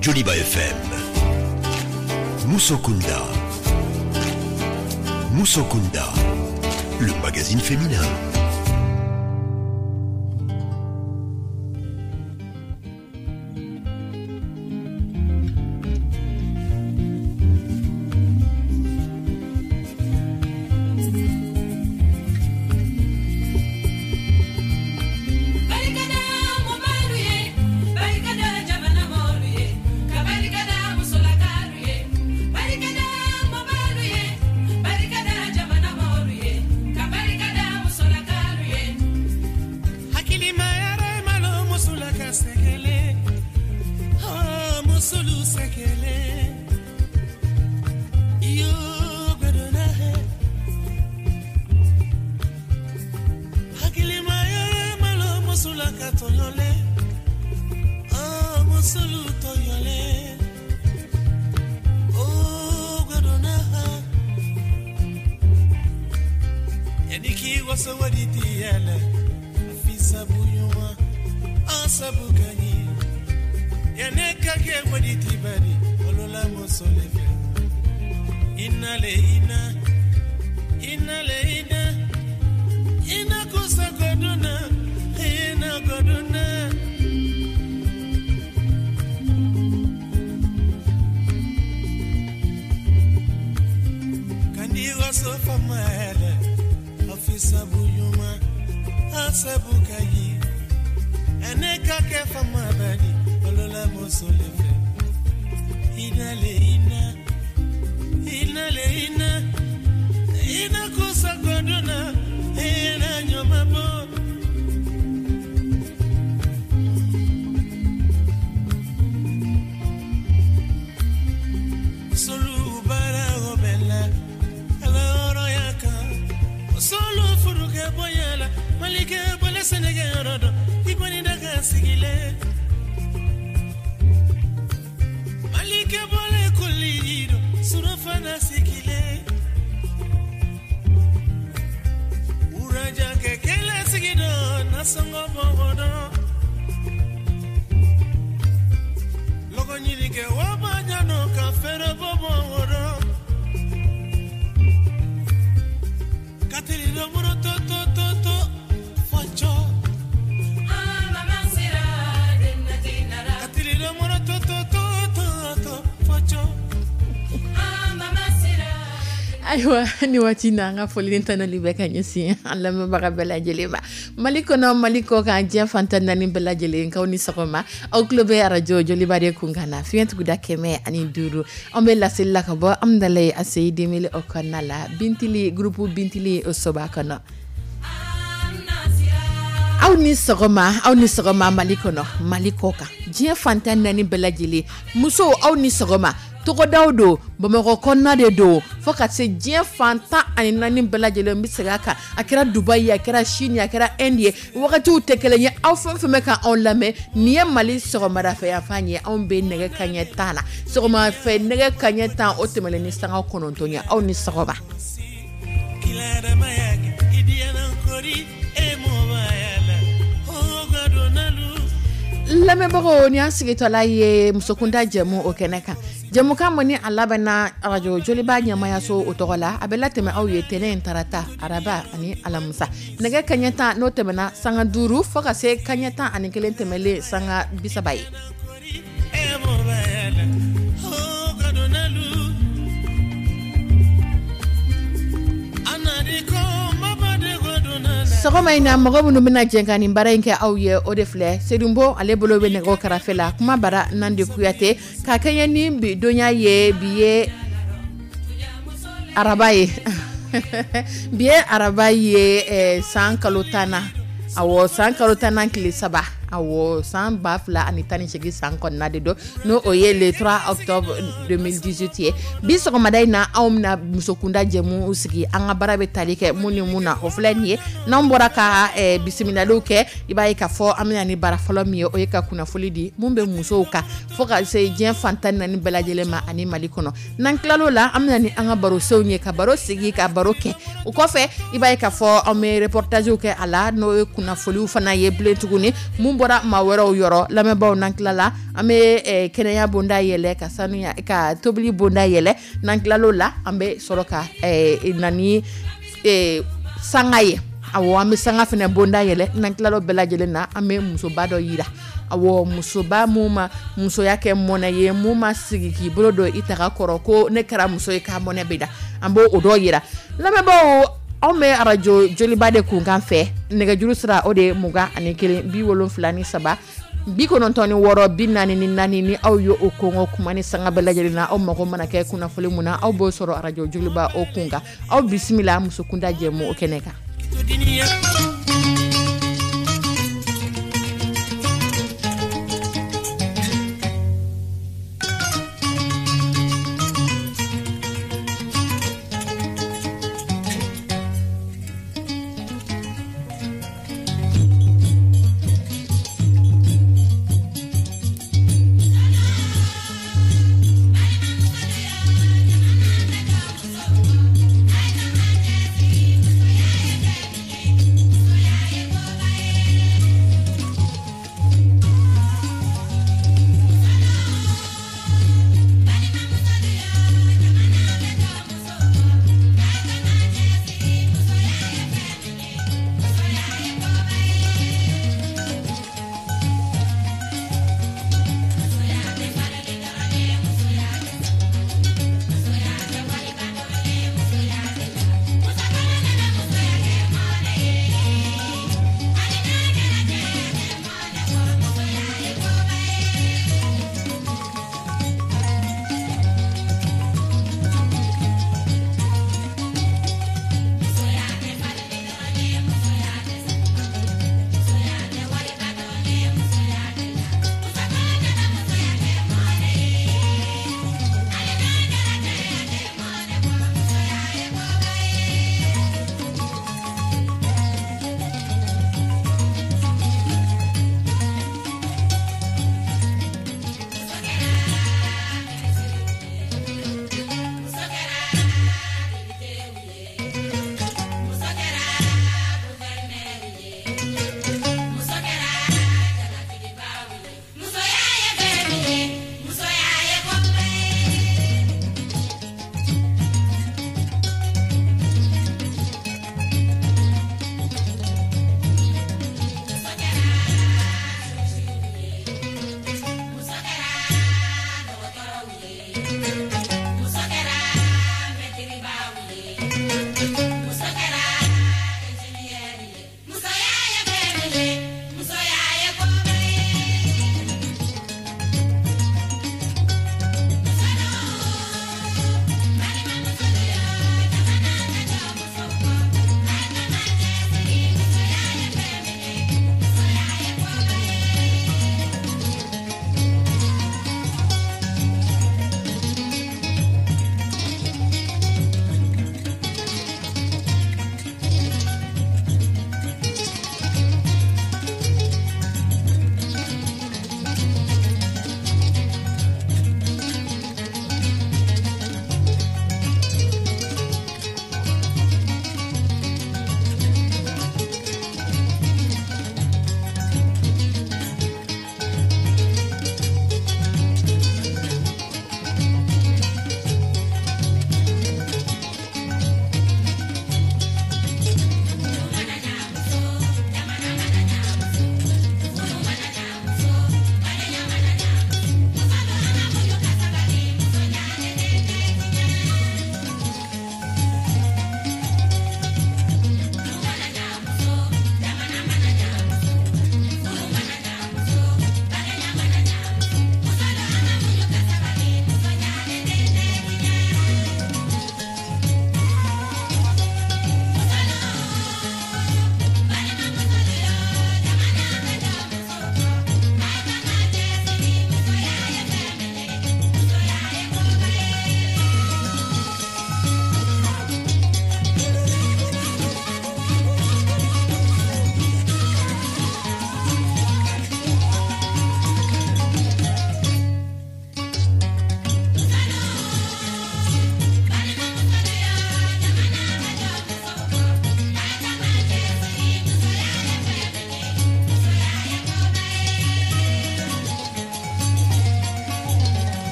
Joliba FM. Musokunda. Musokunda, le magazine féminin. Ayiwa, ni waati na an ka foli tanali bɛ ka ɲɛsin an lamɛnbaga bɛɛ lajɛlen ma, Mali kɔnɔ, Mali kɔ kan, diɲɛ fan 14 bɛɛ lajɛlen k'aw ni sɔgɔma. Aw tulo bɛ arajo Joliba de kun kan na, fiɲɛ tuguda 105. An bɛ laseli la ka bɔ Amudalayi ACI 2000 o kɔnɔna la, Bintili, groupe Bintili o soba kɔnɔ. Aw ni sɔgɔma, aw ni sɔgɔma, Mali kɔnɔ, Mali kɔ kan, diɲɛ fan 14 bɛɛ lajɛlen. Musow, aw ni sɔgɔma. Togodaw don, Bamakɔ kɔnɔna de don, fo ka se diɲɛ fan 14 bɛɛ lajɛlen. N bɛ segin a kan, a kɛra Dubayi ye, a kɛra Chine ye, a kɛra Inde ye, wagatiw tɛ kelen ye. Aw fɛn fɛn bɛ ka anw lamɛn, nin ye Mali sɔgɔmadafɛ yanfan ye. Anw bɛ nɛgɛ kaɲɛ 10 na, sɔgɔmafɛ nɛgɛ kaɲɛ 10 o tɛmɛnen ni sanga 9 ye. Aw ni sɔgɔma. Lamɛnbagaw, ni an sigitɔla ye musokunda jɛmu o kɛnɛ kan, jɛmukan min ni a labɛnna arajo Joliba ɲɛmayaso o tɔgɔ la, a bɛ latɛmɛ aw ye tɛnɛn, tarata, araba ani alamisa, nɛgɛ kaɲɛ 10 n'o tɛmɛna sanga 5 fo ka se kaɲɛ 11 tɛmɛlen sanga 30 ye. Sɔgɔma in na, mɔgɔ minnu bɛna jɛ ka nin baara in kɛ aw ye, o de filɛ: Sedunbo, ale bolo bɛ nɛgɛw karafe la, kuma bara Nande Kuyate, ka kɛɲɛ ni bi donya ye. Bi ye araba ye, bi ye araba ye, san kalo 10 na, awɔ, san kalo 10nan tile 3, awɔ, san 2018 san kɔnɔna de don, n'o o ye le 3 octobre 2018 ye. Bi sɔgɔmada in na, anw bɛna musokunda jɛmu sigi. An ka baara bɛ tali kɛ mun ni mun na, o filɛ nin ye. N'an bɔra ka bisimilaliw kɛ, i b'a ye k'a fɔ an bɛna ni baara fɔlɔ min ye, o ye ka kunnafoli di mun bɛ musow kan fo ka se diɲɛ fan 14 bɛɛ lajɛlen ma ani Mali kɔnɔ. N'an tilal'o la, an bɛna ni an ka barosenw ye, ka baro sigi, ka baro kɛ. O kɔfɛ, i b'a ye k'a fɔ an bɛ reportagew kɛ a la, n'o ye kunnafoliw fana ye bilen tuguni mun Bɔra maa wɛrɛw yɔrɔ. Lamɛnbaaw, n'an tilala, an bɛ kɛnɛya bonda yɛlɛ, ka sanuya ka tobili bonda yɛlɛ. N'an tilal'o la, an bɛ sɔrɔ ka na ni sanga ye. Awɔ, an bɛ sanga fana bonda yɛlɛ. N'an tilal'o bɛɛ lajɛlen na, an bɛ musoba dɔ yira. Awɔ, musoba mun ma musoya kɛ mɔnɛ ye, mun ma sigi k'i bolo don i taga kɔrɔ ko ne kɛra muso ye k'a mɔnɛ bɛ da, an b'o o dɔ yira. Lamɛnbaaw, anw bɛ arajo Joliba de kunkan fɛ. Nɛgɛjuru sira, o de ye 21 73 96 44. Ni aw ye o kɔngɔ kuma ni sanga bɛɛ lajɛlen na, aw mago mana kɛ kunnafoni mun na, aw b'o sɔrɔ arajo Joliba o kun kan. Aw bisimila Musokunda jɛmu o kɛnɛ kan.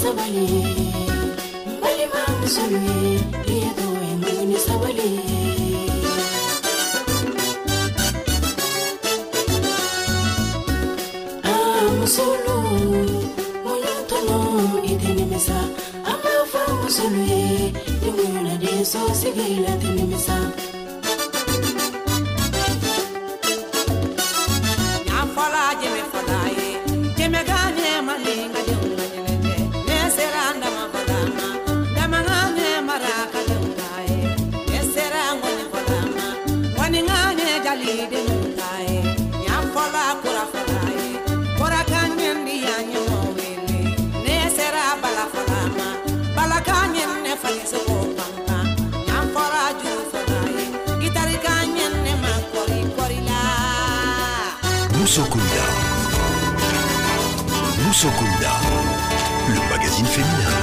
Sabali n balima musolu ye i ye to ye muɲu ni sabali ye. Ah musolu muɲu tɔnɔ i tɛ nimisa an b'a fɔ musolu ye ni muɲuna den so sigi la tɛ nimisa. Musokunda. Musokunda, le magazine féminin.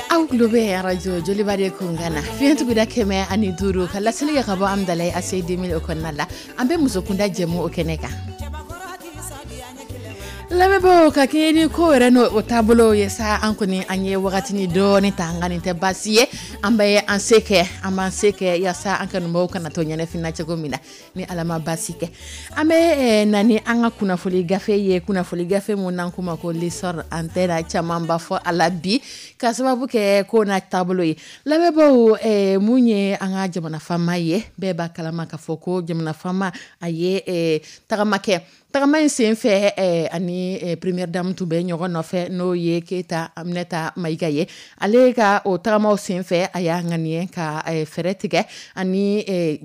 Aw tulo bɛ arajo Joliba de kunkan na fiɲɛtuguda 105 ka laseli kɛ ka bɔ Amudalayi ACI 2000 o kɔnɔna la. An bɛ musokunda jɛmu o kɛnɛ kan. Lamɛnbaaw, ka kɛɲɛ ni ko yɛrɛ n'o o taabolo ye sa, an kɔni an ye wagatini dɔɔni ta, nka nin tɛ baasi ye. An bɛ an se kɛ, an b'an se kɛ yaasa an kanubaaw kana to ɲɛnafin cogo min na, ni Ala ma baasi kɛ. An bɛ na ni an ka kunnafoni gafe ye, kunnafoni gafe mun n'an k'o ma ko l'essor. An tɛna camanba fɔ a la bi ka sababu kɛ ko n'a taabolo ye. Lamɛnbaaw, mun ye an ka jamana faama ye, bɛɛ b'a kalama k'a fɔ ko jamana faama a ye tagama kɛ. Tagama in sen fɛ, ani première dame tun bɛ ɲɔgɔn nɔfɛ, n'o ye Keyita Aminata Mayiga ye. Ale ka o tagamaw sen fɛ, a y'a ŋaniye ka fɛɛrɛ tigɛ ani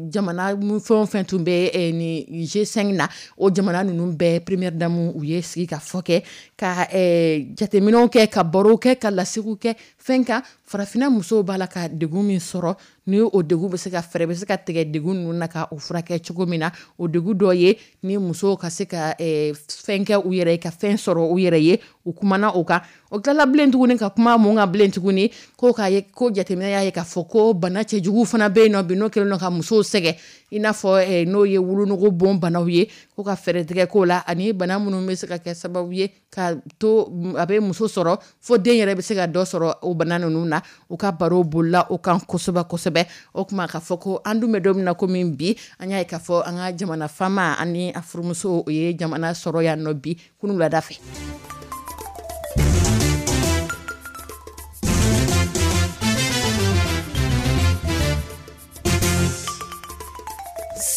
jamana fɛn o fɛn tun bɛ ni G5 na, o jamana ninnu bɛɛ première dame u ye sigi ka fɔ kɛ, ka jateminɛw kɛ, ka barow kɛ, ka lasigiw kɛ fɛn kan. Farafinna musow b'a la ka degun min sɔrɔ, ni o degun bɛ se ka fɛɛrɛ bɛ se ka tigɛ degun ninnu na ka o furakɛ cogo min na. O degun dɔ ye ni musow ka se ka fɛn kɛ u yɛrɛ ye, ka fɛn sɔrɔ u yɛrɛ ye. U kumana o kan. O tilala bilen tuguni ka kuma mun kan bilen tuguni, ko k'a ye ko jateminɛ y'a ye k'a fɔ ko bana cɛjugu fana bɛ yen nɔ bi, n'o kɛlen don ka musow sɛgɛn, i n'a fɔ n'o ye wolonugu bon banaw ye, ko ka fɛɛrɛ tigɛ k'o la, ani bana minnu bɛ se ka kɛ sababu ye ka to a bɛ muso sɔrɔ fo den yɛrɛ bɛ se ka dɔ sɔrɔ o bana ninnu na. U ka baro bolila o kan kosɛbɛ kosɛbɛ. O tuma k'a fɔ ko an dun bɛ don min na komi bi, an y'a ye k'a fɔ an ka jamana faama ani a furumuso o ye jamana sɔrɔ yan nɔ bi kunun wulada fɛ.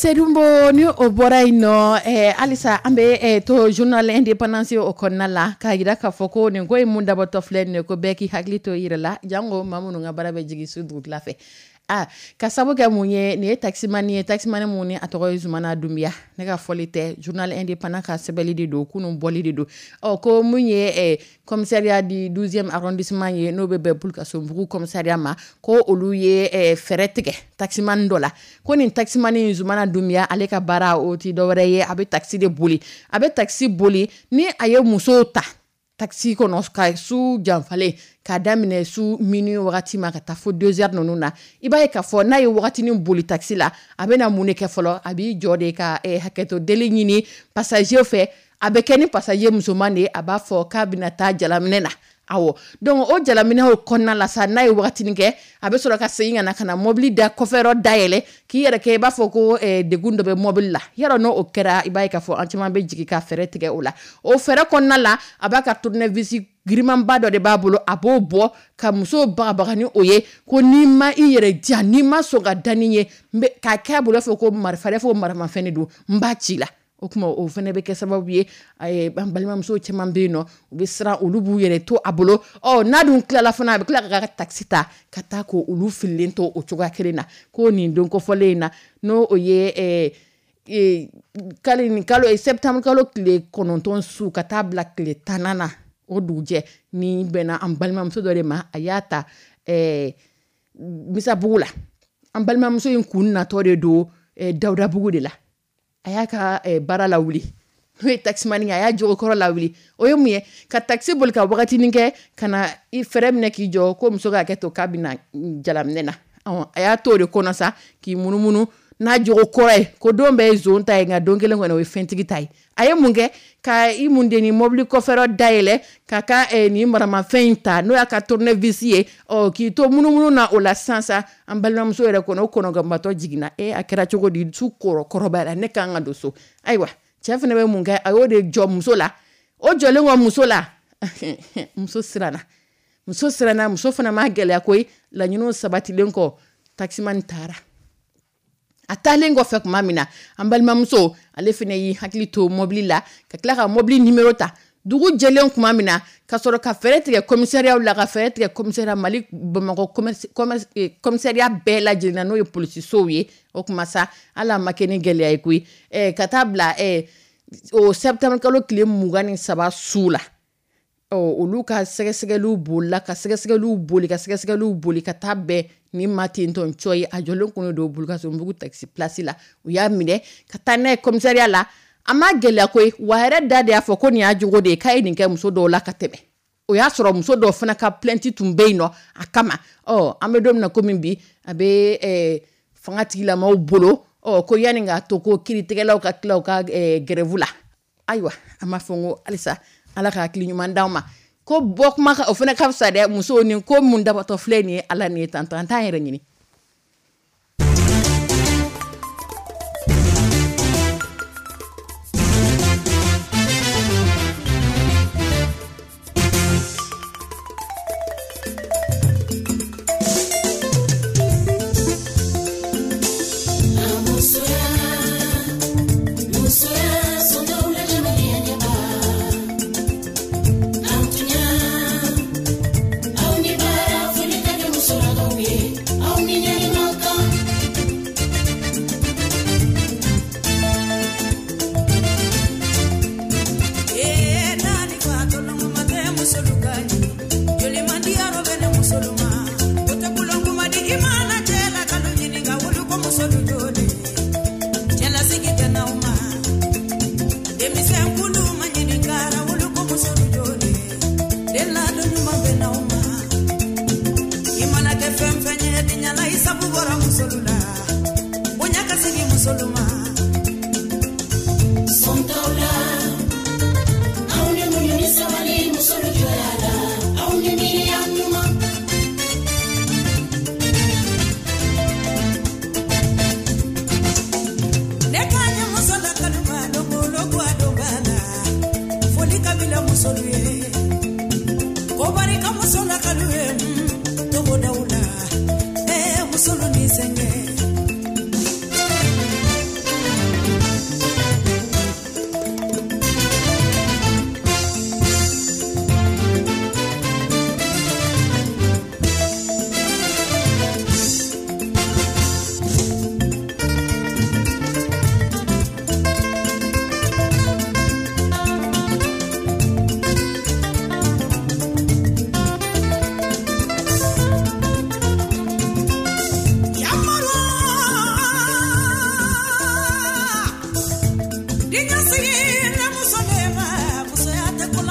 Sedumbo, ni o bɔra yen nɔ, halisa an bɛ to Journal Indépendance o kɔnɔna la, k'a jira k'a fɔ ko nin ko in mun dabɔtɔ filɛ nin ye, ko bɛɛ k'i hakili to i yɛrɛ la, jango maa minnu ka baara bɛ jigin su dugutila fɛ. Aa, ka sabu kɛ mun ye? Nin ye taximani ye, taximani mun ni a tɔgɔ ye Zumana Dunbiya. Ne ka fɔli tɛ, Journal Indépendant ka sɛbɛnli de don, kunun bɔli de don. Ɔ, ko mun ye commissariat du 12e arrondissement ye, n'o bɛ bɛn Bulukasunbugu commissariat ma, ko olu ye fɛɛrɛ tigɛ taximani dɔ la, ko nin taximani Zumana Dunbiya, ale ka baara o ti dɔwɛrɛ ye, a bɛ taxi de boli. A bɛ taxi boli ni a ye musow ta taxi kɔnɔ ka su janfalen, k'a daminɛ su minuit wagati ma ka taa fo 2 heures ninnu na. I b'a ye k'a fɔ n'a ye wagatinin boli taxi la, a bɛna mun de kɛ fɔlɔ? A b'i jɔ de ka hakɛto deli ɲini passager fɛ. A bɛ kɛ ni passager musoman de ye, a b'a fɔ k'a bɛna taa jalaminɛ na. Awɔ, donc o jalaminɛ o kɔnɔna la sa, n'a ye wagatinin kɛ, a bɛ sɔrɔ ka segin ka na mobili da kɔfɛyɔrɔ dayɛlɛ, k'i yɛrɛ kɛ i b'a fɔ ko degun dɔ bɛ mobili la. Yarɔ, n'o kɛra, i b'a ye k'a fɔ an caman bɛ jigin ka fɛɛrɛ tigɛ o la. O fɛɛrɛ kɔnɔna la, a b'a ka tournevis girimanba dɔ de b'a bolo, a b'o bɔ ka musow bagabaga ni o ye, ko n'i ma i yɛrɛ diya, n'i ma sɔn ka da ni ye, k'a kɛ a bolo fɔ ko marifa, fɔ maramafɛn de don, n b'a ci la. O tuma, o fana bɛ kɛ sababu ye, an balimamuso caman bɛ yen nɔ, u bɛ siran, olu b'u yɛrɛ to a bolo. Ɔ, n'a dun tilala fana, a bɛ tila ka taxi ta ka taa ko olu fililen to o cogoya kelen na. Ko nin don kofɔlen in na, n'o o ye kalo nin kalo septembre kalo tile 9 su ka taa bila tile 10nan na, o dugujɛ ni bɛnna an balimamuso dɔ de ma, a y'a ta Misabugu la. An balimamuso in kun natɔ de don Dawudabugu de la. A y'a ka baara lawuli, n'o ye taximani ye, a y'a jogokɔrɔ lawuli. O ye mun ye? Ka taxi boli ka wagatinin kɛ, ka na i fɛrɛ minɛ k'i jɔ ko muso ka hakɛ to, k'a bɛna jalaminɛ na. A y'a to o de kɔnɔ sa, k'i munumunu n'a jogo kɔrɔ ye, ko don bɛɛ ye zon ta ye, nka don kelen kɔni, o ye fɛntigi ta ye. A ye mun kɛ? Ka i mun de ni mobili kɔfɛyɔrɔ dayɛlɛ, ka ka nin maramafɛn in ta, n'o y'a ka tournevis ye. Ɔ, k'i to munumunu na o la sisan sa, an balimamuso yɛrɛ kɔnɔ, o kɔnɔganbatɔ jiginna. E, a kɛra cogo di? Su kɔrɔ kɔrɔbayara, ne kan ka don so. Ayiwa, cɛ fana bɛ mun kɛ? A y'o de jɔ muso la. O jɔlen kɔ muso la, muso siranna, muso siranna. Muso fana ma gɛlɛya koyi. Laɲiniw sabatilen kɔ, taximani taara. A taalen kɔfɛ tuma min na, an balimamuso ale fana y'i hakili to mobili la, ka tila ka mobili nimero ta. Dugu jɛlen tuma min na, ka sɔrɔ ka fɛɛrɛ tigɛ commissariat la, ka fɛɛrɛ tigɛ commissariat Mali Bamakɔ commissariat bɛɛ lajɛlen na, n'o ye polisisow ye. O tuma sa, hali a ma kɛ ni gɛlɛya ye koyi. Ka taa bila o septembre kalo tile 23 su la, ɔ, olu ka sɛgɛsɛgɛliw bolila, ka sɛgɛsɛgɛliw boli, ka sɛgɛsɛgɛliw boli, ka taa bɛn ni maa tentɔn cɔ ye. A jɔlen kun don Bulukasunbugu taxi place la. U y'a minɛ ka taa n'a ye commissariat la. A ma gɛlɛya koyi, wa a yɛrɛ da de y'a fɔ ko nin y'a jogo de ye, k'a ye nin kɛ muso dɔw la ka tɛmɛ. O y'a sɔrɔ muso dɔw fana ka plainte tun bɛ yen nɔ a kama. Ɔ, an bɛ don min na komi bi, a bɛ fanga tigilamaw bolo. Ɔ, ko yanni k'a to ko kiiritigɛlaw ka tila u ka grève la, ayiwa, an b'a fɔ ko halisa Ala ka hakili ɲuman d'anw ma. Ko bɔ kuma o fana ka fisa dɛ. Musow, nin ko mun dabatɔ filɛ nin ye, Ala nin ye tantɔ, an t'an yɛrɛ ɲini.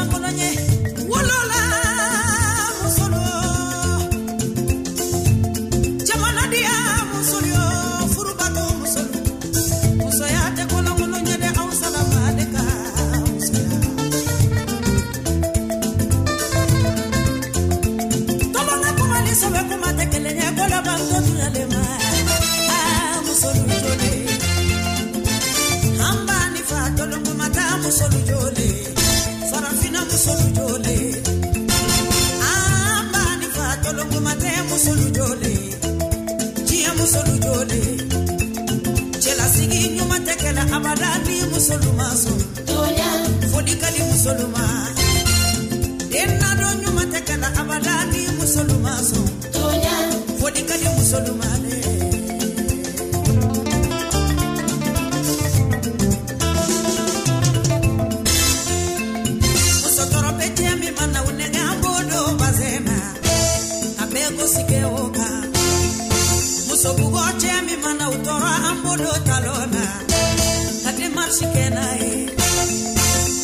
Kolonkolon ye wolola musolu, jamanadiya musolu yo, furubato musolu, musoya tɛ kolonkolon ye dɛ, aw salama de ka musoya. Tɔlɔnna kuma ni sɛbɛ kuma tɛ kelen ye, ko laban tɔ tuyalen ma. Aa musolu jole, an b'a ni fa tɔlɔn kuma taa musolu jole, farafinna musolu jole, an b'a ni fa tɔlɔn kuma tɛ musolu jole, diɲɛ musolu jole, cɛlasigi ɲuman tɛ kɛlɛ abada ni musolu ma sɔn. Foli ka di musolu ma, den nadon ɲuman tɛ kɛlɛ abada ni musolu ma sɔn. Foli ka di musolu ma dɛ. Muso tɔɔrɔ bɛ cɛ min mana o nɛgɛ, an b'o don bazɛn na, a bɛɛ gosi kɛ o kan. Muso bugɔ cɛ min mana o tɔɔrɔ, an b'o don talon na, ka démarche kɛ n'a ye.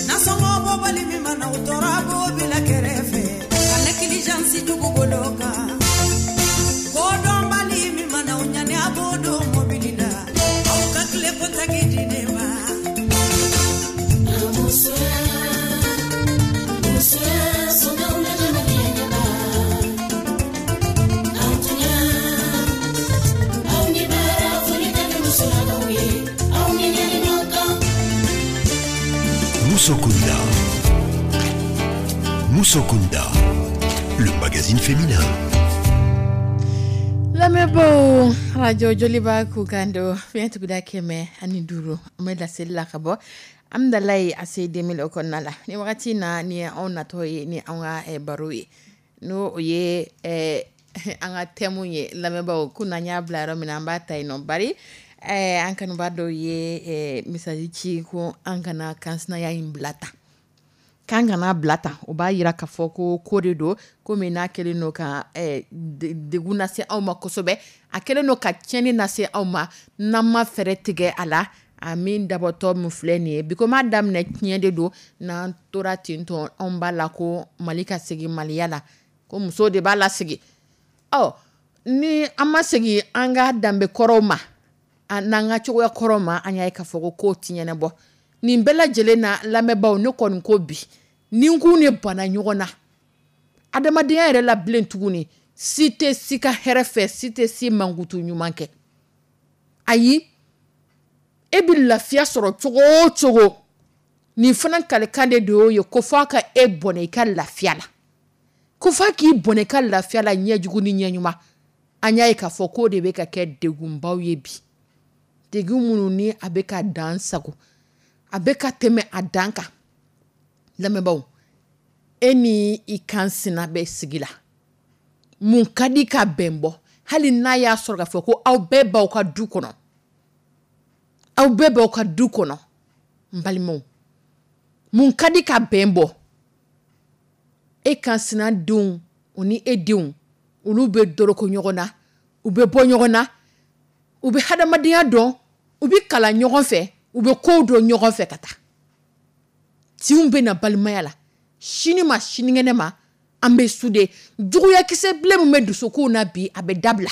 Nasɔngɔ bɔbali min mana o tɔɔrɔ, a b'o bila kɛrɛfɛ, ka négligence jugu bolo kan. Kodɔnbali min mana o ɲani, a b'o don mobili la, aw ka tile kɔntaki di ne ma. Moussokunda. Moussokunda, le magazine féminin. Lamɛnbaaw, radio Joliba kukan don fiɲɛ tuguda 105, an bɛ laseli la ka bɔ Amdalayi AC 2000 o kɔnɔna la. Ni wagati in na, ni ye anw natɔ ye ni anw ka baro ye, n'o o ye an ka thème ye. Lamɛnbaaw, ko n'an y'a bila yɔrɔ min na, an b'a ta yen nɔ. Bari an kanuba dɔw ye message ci ko an kana kansinaya in bila tan, k'an kana bila tan. O b'a yira k'a fɔ ko ko de don, ko min n'a kɛlen don ka degun lase anw ma kosɛbɛ, a kɛlen don ka tiɲɛni lase anw ma, n'an ma fɛɛrɛ tigɛ a la. A min dabɔtɔ min filɛ nin ye bi, ko m'a daminɛ tiɲɛ de don, n'an tora ten tɔ, anw b'a la ko Mali ka segin Maliya la, ko muso de b'a lasegin. Ɔ ni an ma segin an ka danbe kɔrɔw ma, n'an ka cogoya kɔrɔw ma, an y'a ye k'a fɔ ko kow ti ɲɛnabɔ. Nin bɛɛ lajɛlen na, lamɛnbaaw, ne kɔni ko bi ni n k'u ne banna ɲɔgɔn na adamadenya yɛrɛ la bilen tuguni, si tɛ si ka hɛrɛ fɛ, si tɛ si mankutu ɲuman kɛ. Ayi, e bɛ lafiya sɔrɔ cogo o cogo, nin fana kalikan de y'o ye, ko f'a ka e bɔnɛ i ka lafiya la, ko f'a k'i bɔnɛ i ka lafiya la, ɲɛjugu ni ɲɛɲuman. An y'a ye k'a fɔ k'o de bɛ ka kɛ degunbaw ye bi, degun minnu ni a bɛ ka dan sago, a bɛ ka tɛmɛ a dan kan. Lamɛnbaaw, e ni i kan sina bɛ sigi la, mun ka di ka bɛn bɔ, hali n'a y'a sɔrɔ k'a fɔ ko aw bɛɛ b'aw ka du kɔnɔ, aw bɛɛ b'aw ka du kɔnɔ, n balimaw, mun ka di ka bɛn bɔ? E kan sina denw o ni e denw, olu bɛ doroko ɲɔgɔn na, u bɛ bɔ ɲɔgɔn na, u bɛ hadamadenya dɔn, u bɛ kalan ɲɔgɔn fɛ, u bɛ kow dɔn ɲɔgɔn fɛ ka taa. Tinw bɛ na balimaya la, sini ma sinikɛnɛ ma, an bɛ sude. Juguyakisɛ bilen min bɛ dusukun na bi, a bɛ dabila.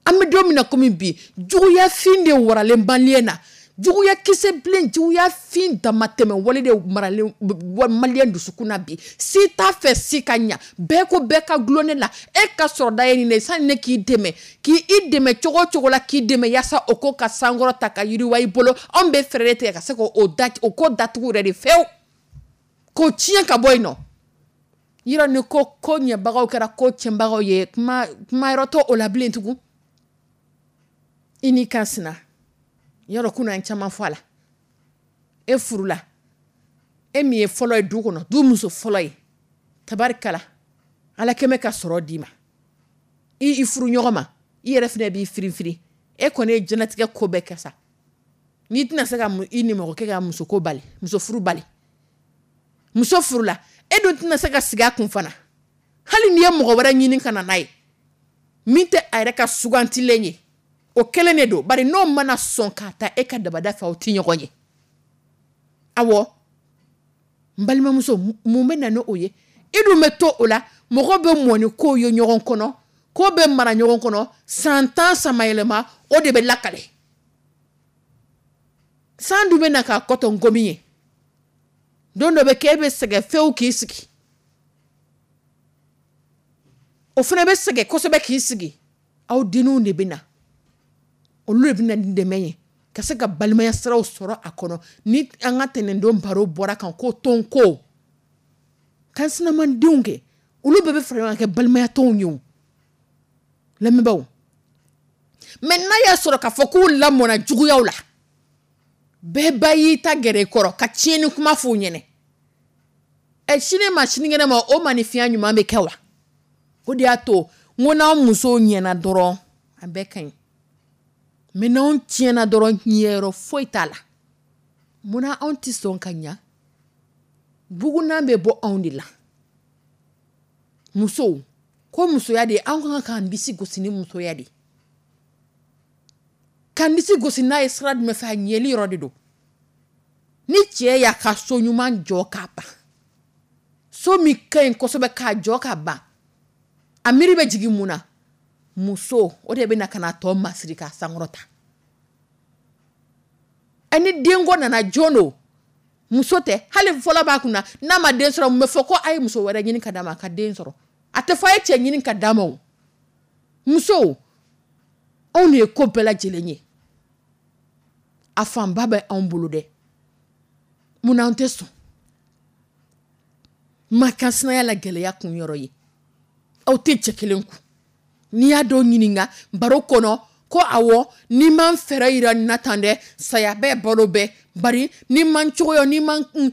An bɛ don min na komi bi, juguyafin de waralen maliyɛn na, juguyakisɛ bilen, juguyafin damatɛmɛ wale de maralen maliyɛn dusukun na bi. Si t'a fɛ si ka ɲa, bɛɛ ko bɛɛ ka gulon ne la, e ka sɔrɔda ye nin de ye, sani ne k'i dɛmɛ, k'i dɛmɛ cogo o cogo la, k'i dɛmɛ yaasa o ko ka sankɔrɔ ta ka yiriwa i bolo, anw bɛ fɛɛrɛ de tigɛ ka se k'o da, o ko datugu yɛrɛ de fewu, k'o tiɲɛ ka bɔ yen nɔ. Yɔrɔ ni ko ko ɲɛbagaw kɛra ko tiɲɛbagaw ye, kuma kuma yɔrɔ t'o la bilen tugun. I n'i kan sina yɔrɔ kunna, an caman fɔ a la. E furula, e min ye fɔlɔ ye du kɔnɔ, du muso fɔlɔ ye, tabarikala, ala kɛmɛ ka sɔrɔ d'i ma, i furu ɲɔgɔn ma, i yɛrɛ fana b'i firin firin, e kɔni ye diɲɛlatigɛ ko bɛɛ kɛ sa, n'i tɛna se ka i ni mɔgɔ kɛ ka muso ko bali, muso furu bali, muso furula, e dun tɛna se ka sigi a kun fana, hali n'i ye mɔgɔ wɛrɛ ɲini ka na n'a ye min tɛ a yɛrɛ ka sugantilen ye, o kelen de don. Bari n'o mana sɔn k'a ta e ka dabada fɛ, aw tɛ ɲɔgɔn ye. Awɔ, N balimamuso, mun bɛ na o ye? I dun bɛ to o la, mɔgɔ bɛ mɔni ko ye ɲɔgɔn kɔnɔ, ko bɛ mara ɲɔgɔn kɔnɔ san 10 samayɛlɛma, o de bɛ lakale. San dun bɛ na k'a kɔtɔ nkomi ye. Don dɔ bɛ kɛ, e bɛ sɛgɛn fewu k'i sigi, o fana bɛ sɛgɛn kosɛbɛ k'i sigi. Aw denninw de bɛ na, olu de bɛ na ni dɛmɛ ye ka se ka balimaya siraw sɔrɔ a kɔnɔ. Ni an ka tɛnɛndon baro bɔra kan ko tɔn ko kan sinamandenw kɛ, olu bɛɛ bɛ fara ɲɔgɔn kan kɛ balimaya tɔnw ye. O lamɛnbaaw, mɛ n'a y'a sɔrɔ k'a fɔ k'u lamɔna juguyaw la, bɛɛ ba y'i ta gɛrɛ i kɔrɔ ka tiɲɛni kuma f'u ɲɛnɛ, ɛ sini ma sinikɛnɛ ma, o maninfinya ɲuman bɛ kɛ wa? O de y'a to n ko n'anw musow ɲɛna dɔrɔn, a bɛɛ ka ɲi, mɛ n'anw tiɲɛna dɔrɔn, ɲɛyɔrɔ foyi t'a la. Munna anw tɛ sɔn ka ɲa? Bugunan bɛ bɔ anw de la. Musow ko musoya de, an kan k'an disi gosi ni musoya de, k'an disi gosi n'a ye sira jumɛn fɛ? A ɲɛli yɔrɔ de don. Ni cɛ y'a ka so ɲuman jɔ k'a ban, so min ka ɲi kosɛbɛ k'a jɔ k'a ban, a miiri bɛ jigin mun na? Muso, o de bɛ na ka na tɔ masiri k'a sankɔrɔta. Ni denko nana, jɔn don? Muso tɛ. Hali fɔlɔ b'a kunna, n'a ma den sɔrɔ, mun bɛ fɔ? Ko a ye muso wɛrɛ ɲini ka d'a ma a ka den sɔrɔ. A tɛ fɔ a ye cɛ ɲini ka d'a ma. O musow, anw de ye ko bɛɛ lajɛlen ye, a fanba bɛ anw bolo dɛ. Munna an tɛ sɔn ma kan sinaya la? Gɛlɛya kun yɔrɔ ye, aw tɛ cɛ kelen kun. N'i y'a dɔw ɲininka baro kɔnɔ ko awɔ, n'i ma n fɛɛrɛ yira nin na tan dɛ, saya bɛɛ balo bɛɛ. Bari n'i ma n cogoya, n'i ma n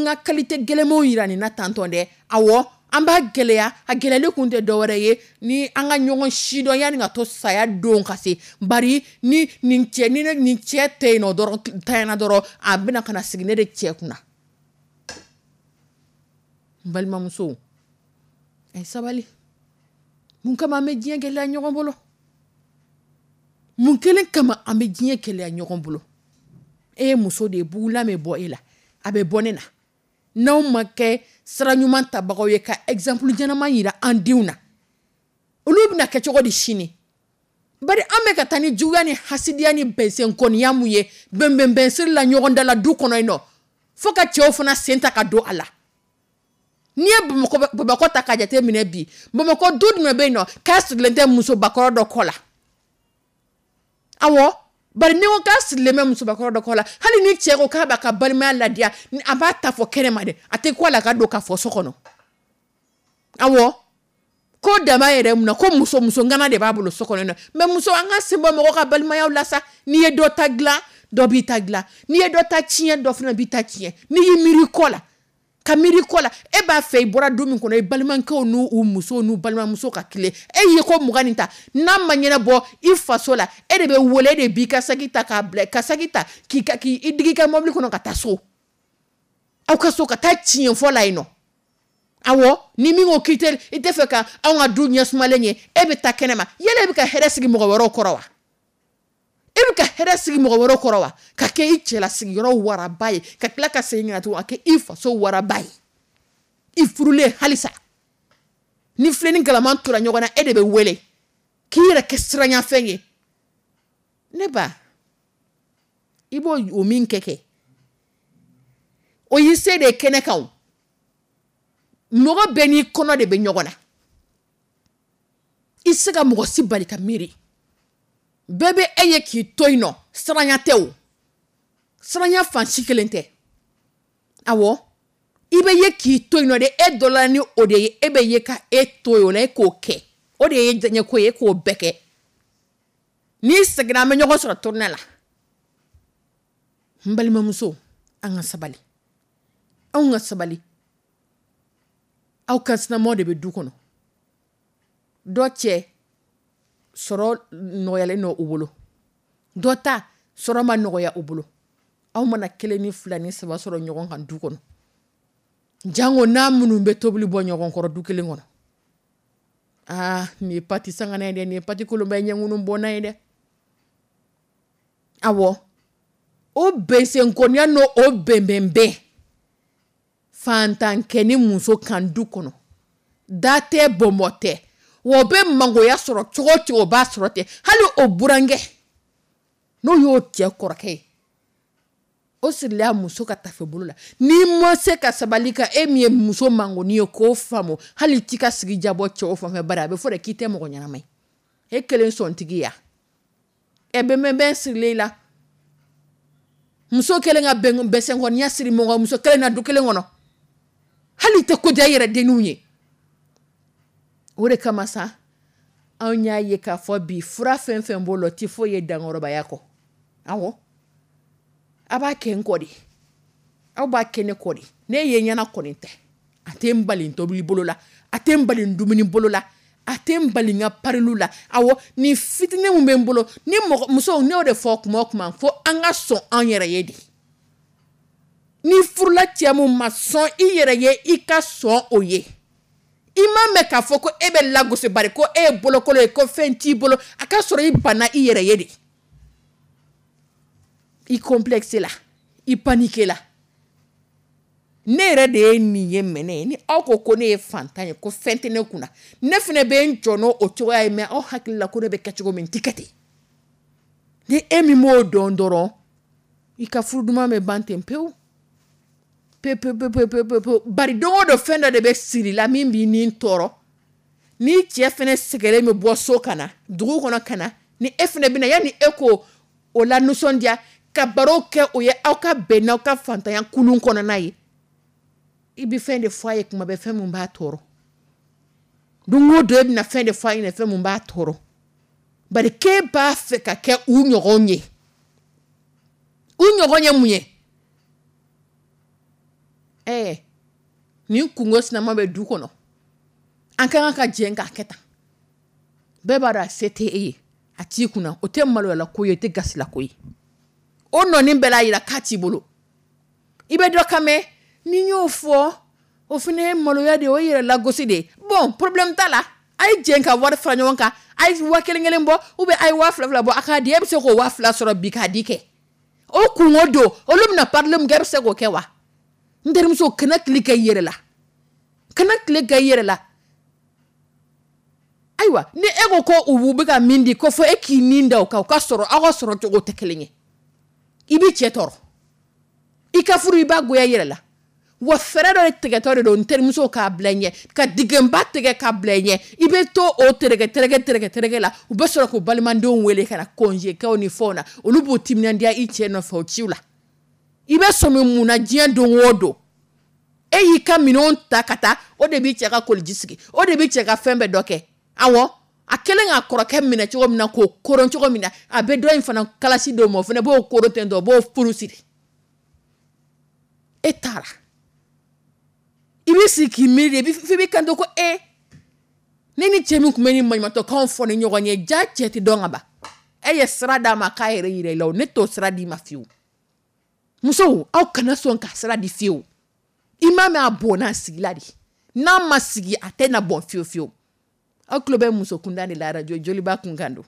ka qualité gɛlɛnmanw yira nin na tantɔn dɛ, awɔ, an b'a gɛlɛya. A gɛlɛyali kun tɛ dɔwɛrɛ ye ni an ka ɲɔgɔn sidɔn yanni ka to saya don ka se. Bari ni nin cɛ, ni nin cɛ tɛ yen nɔ dɔrɔn, tanyana dɔrɔn, a bɛna ka na sigi ne de cɛ kunna. N balimamusow, a ye sabali. Mun kama an bɛ diɲɛ gɛlɛya ɲɔgɔn bolo? Mun kelen kama an bɛ diɲɛ gɛlɛya ɲɔgɔn bolo? E ye muso de ye, bugulan bɛ bɔ e la, a bɛ bɔ ne na. N'anw ma kɛ sira ɲuman tabagaw ye ka exemple ɲɛnama yira an denw na, olu bɛna kɛ cogo di sini? Bari an bɛ ka taa ni juguya ni hasidiya ni bɛnsenkɔniya mun ye bɛnbɛnbɛnsiri la ɲɔgɔn da la du kɔnɔ yen nɔ, fo ka cɛw fana sen ta ka don a la. N'i ye Bamakɔ ta k'a jate minɛ bi, Bamakɔ du jumɛn bɛ yen nɔ k'a sigilen tɛ musobakɔrɔ dɔ kɔ la? Awɔ, bari n'i ko k'a sigilen bɛ musobakɔrɔ dɔ kɔ la, hali ni cɛ ko k'a b'a ka balimaya ladiya, a b'a ta fɔ kɛnɛma dɛ, a tɛ ko a la ka don k'a fɔ so kɔnɔ. Awɔ, ko dama yɛrɛ mun na ko muso ŋana de b'a bolo so kɔnɔ. Mɛ muso, an ka sen bɔ mɔgɔ ka balimayaw la sa. N'i ye dɔ ta dilan, dɔ b'i ta dilan. N'i ye dɔ ta tiɲɛ, dɔ fana b'i ta tiɲɛ. N'i y'i miiri kɔ la, ka miiri kɔ la, e b'a fɛ i bɔra du min kɔnɔ, i balimakɛw n'u u musow n'u balimamuso ka tile, e ye ko 20 nin ta, n'a ma ɲɛnabɔ i faso la, e de bɛ wele, e de b'i ka saki ta k'a bila, ka saki ta k'i digi i ka mobili kɔnɔ ka taa so, aw ka so, ka taa tiɲɛ fɔ la yen nɔ. Awɔ, ni min ko k'i tɛ, i tɛ fɛ ka anw ka du ɲɛsumalen ye, e bɛ taa kɛnɛma. Yala e bɛ ka hɛrɛ sigi mɔgɔ wɛrɛw kɔrɔ wa? E bɛ ka hɛrɛ sigi mɔgɔ wɛrɛw kɔrɔ wa? Ka kɛ i cɛlasigiyɔrɔ waraba ye, ka tila ka segin ka na tugun ka kɛ i faso waraba ye, i furulen halisa. Ni filen ni galama tora ɲɔgɔn na, e de bɛ wele k'i yɛrɛ kɛ siranyafɛn ye. Ne ba, i b'o o min kɛ, o y'i se de ye kɛnɛ kan. O mɔgɔ bɛɛ n'i kɔnɔ de bɛ ɲɔgɔn na. I tɛ se ka mɔgɔ si bali ka miiri. Bɛɛ bɛ e ye k'i to yen nɔ, siranya tɛ o, siranya fan si kelen tɛ. Awɔ, i bɛ ye k'i to yen nɔ de, e dɔ la ni o de ye, e bɛ ye ka e to yen o la, e k'o kɛ, o de ye diɲɛ ko ye, e k'o bɛɛ kɛ. N'i seginna, an bɛ ɲɔgɔn sɔrɔ tournée la. N balimamuso, an ka sabali, anw ka sabali. Aw ka sinamɔgɔ de bɛ du kɔnɔ, dɔ cɛ sɔrɔ nɔgɔyalen don u bolo, dɔ ta sɔrɔ ma nɔgɔya u bolo. Aw mana 1 ni 2 ni 3 sɔrɔ ɲɔgɔn kan du kɔnɔ, jango n'a minnu bɛ tobili bɔ ɲɔgɔn kɔrɔ du kelen kɔnɔ. Aa, nin ye pati sangana ye dɛ, nin ye pati kolonba ye, ɲɛŋunu bɔnna ye dɛ. Awɔ, o bɛnsenkɔniya n'o o bɛnbɛnbɛn Fantankɛ ni muso kan du kɔnɔ, da tɛ, bɔnbɔ tɛ, wa o bɛ mangoya sɔrɔ cogo o cogo, o b'a sɔrɔ ten. Hali o burankɛ, n'o y'o cɛ kɔrɔkɛ ye, o sirila muso ka tafe bolo la. N'i ma se ka sabali ka e min ye muso mangoni ye k'o faamu, hali t'i ka sigi jabɔ cɛw fan fɛ, bari a bɛ fɔ de k'i tɛ mɔgɔ ɲɛnama ye, e kelen sɔntigi ya ɛ bɛnbɛnbɛn sirilen i la. Muso kelen ka bɛsɛnkɔniya siri mɔgɔ muso kelen na du kelen kɔnɔ, hali tɛ ko diya i yɛrɛ denninw ye. O de kama sa, anw y'a ye k'a fɔ bi fura fɛn fɛn b'o la, o tɛ foyi ye dankɔrɔbaya kɔ. Awɔ, a b'a kɛ n kɔ de, aw b'a kɛ ne kɔ de. Ne ye ɲɛna kɔni tɛ, a tɛ n bali n tobili bolo la, a tɛ n bali n dumuni bolo la, a tɛ n bali n ka pariliw la. Awɔ, nin fitinin min bɛ n bolo ni mɔgɔ musow, ne y'o de fɔ kuma o kuma, fo an ka sɔn an yɛrɛ ye de. Ni furula cɛ mun ma sɔn i yɛrɛ ye, i ka sɔn o ye. I m'a mɛn k'a fɔ ko e bɛ lagosi bari ko e ye bolokolo ye, ko fɛn t'i bolo, a ka sɔrɔ i banna i yɛrɛ ye de. I complexe la, i panique la. Ne yɛrɛ de ye nin ye mɛnɛ, ni aw ko ko ne ye fantan ye, ko fɛn tɛ ne kunna, ne fana bɛ n jɔ n'o o cogoya ye. Mais aw hakili la ko ne bɛ kɛ cogo min, n ti kɛ ten. Ni e min m'o dɔn dɔrɔn, i ka furu duman bɛ ban ten pewu pewu pewu pewu pewu pewu pewu. Bari don o don fɛn dɔ de bɛ siri la min b'i ni tɔɔrɔ. Ni cɛ fana sɛgɛnnen bɛ bɔ so ka na dugu kɔnɔ ka na, ni e fana bɛ na, yanni e k'o o la nisɔndiya ka baro kɛ o ye, aw ka bɛn n'aw ka fantanya kulun kɔnɔna ye, i bɛ fɛn de fɔ a ye kuma bɛɛ, fɛn min b'a tɔɔrɔ. Don o don e bɛna fɛn de fɔ a ɲɛna, fɛn min b'a tɔɔrɔ. Bari k'e b'a fɛ ka kɛ u ɲɔgɔn ye. U ɲɔgɔn ye mun ye? Nin kungo sinama bɛ du kɔnɔ, an ka kan ka jɛn k'a kɛ tan. Bɛɛ b'a dɔn a se tɛ e ye, a t'i kunna, o tɛ maloyala ko ye, o tɛ gasila ko ye. O nɔni bɛɛ l'a yira k'a t'i bolo. I bɛ dɔ kan mɛn, ni n y'o fɔ, o fana ye maloya de ye, o ye yɛrɛ lagosi de ye. Bon, problème t'a la, a ye jɛn ka wari fara ɲɔgɔn kan, a ye 1000 kelen bɔ, ou bien a ye 2000 fila bɔ, a k'a di. E bɛ se k'o 2000 sɔrɔ bi k'a di kɛ. O kungo don, olu bɛna parler mun kɛ, e bɛ se k'o kɛ wa? N terimuso, kana tile kɛ i yɛrɛ la, kana tile kɛ i yɛrɛ la. Ayiwa, ni e ko ko u bɛ ka min di, ko fɔ e k'i nin da o kan, o ka sɔrɔ aw ka sɔrɔ cogo tɛ kelen ye. I b'i cɛ tɔɔrɔ, i ka furu i b'a goya i yɛrɛ la. Wa fɛɛrɛ dɔ de tigɛtɔ de don, n terimuso, k'a bila i ɲɛ, ka dingɛba tigɛ k'a bila i ɲɛ. I bɛ to o tereke tereke tereke tereke la, u bɛ sɔrɔ k'u balimadenw wele ka na congé kɛw ni fɛnw na, olu b'u timinandiya i cɛ nɔfɛ o ciw la. I bɛ sɔmi mun na diɲɛ don o don? E y'i ka minɛnw ta ka taa, o de b'i cɛ ka koliji sigi, o de b'i cɛ ka fɛn bɛɛ dɔ kɛ. Awɔ, a kɛlen k'a kɔrɔkɛ minɛ cogo min na, k'o koron cogo min na, a bɛ dɔ in fana kalasi d'o ma, o fana b'o koron ten tɔ, o b'o furu siri. E taara, i b'i sigi k'i miiri de, f'i b'i kanto ko e ne ni cɛ min tun bɛ nin maɲumantɔkanw fɔ ni ɲɔgɔn ye, ja cɛ tɛ dɔn ka ban. E ye sira d'a ma k'a yɛrɛ yira i la, o ne t'o sira d'i ma fiyewu. Musow, aw kana sɔn ka sira di fiyewu. I m'a mɛn, a bɔnna a sigila de, n'a ma sigi a tɛ na bɔn fiyewu fiyewu. Aw tulo bɛ muso kunda de la, arajo Joliba kunkan don.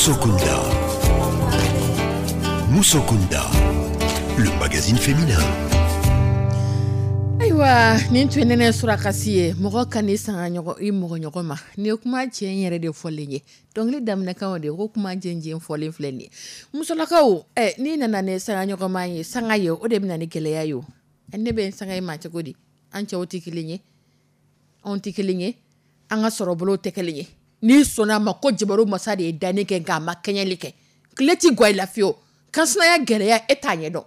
Musokunda. Musokunda, le magazine féminin. Ayiwa, nin tun ye Nɛnɛ Surakasi ye. Mɔgɔ ka n'i sanga ɲɔgɔn i mɔgɔ ɲɔgɔn ma, nin ye kuma tiɲɛ yɛrɛ de fɔlen ye. Dɔnkili daminɛkan de ko kuma jɛnjɛn fɔlen filɛ nin ye. Musolakaw, ɛ, n'i nana ne sanga ɲɔgɔnma ye, sanga ye, o de bɛ na ni gɛlɛya ye. O ne bɛ n sanga ye maa cogo di? An cɛw tɛ kelen ye, anw tɛ kelen ye, an ka sɔrɔ bolo tɛ kelen ye. N'i sɔnna a ma ko jabaru masa de ye danni kɛ, nka a ma kɛɲɛli kɛ, tile ti gwa i la fiyewu. Kansinaya gɛlɛya, e t'a ɲɛdɔn,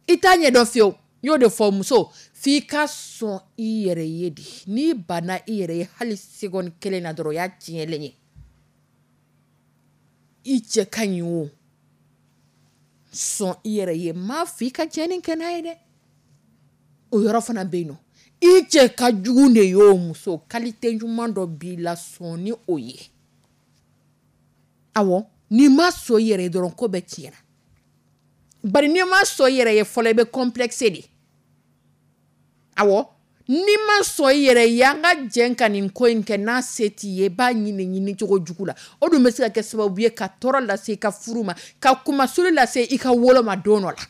i t'a ɲɛdɔn fiyewu. N y'o de fɔ, muso, f'i ka sɔn i yɛrɛ ye de. N'i banna i yɛrɛ ye hali seconde kelen na dɔrɔn, o y'a tiɲɛlen ye. I cɛ ka ɲi o, sɔn i yɛrɛ ye. M'a fɔ i ka tiɲɛni kɛ n'a ye dɛ, o yɔrɔ fana bɛ yen nɔ. I cɛ ka jugu de ye o, muso, qualité ɲuman dɔ b'i la, sɔn ni o ye. Awɔ, n'i ma sɔn i yɛrɛ ye dɔrɔn, ko bɛɛ tiɲɛna. Bari n'i ma sɔn i yɛrɛ ye fɔlɔ, i bɛ complexe de. Awɔ, n'i ma sɔn i yɛrɛ ye, an ka jɛn ka nin ko in kɛ, n'a se t'i ye, i b'a ɲini ɲini cogo jugu la. O dun bɛ se ka kɛ sababu ye ka tɔɔrɔ lase i ka furu ma, ka kumasuli lase i ka wolo ma don dɔ la.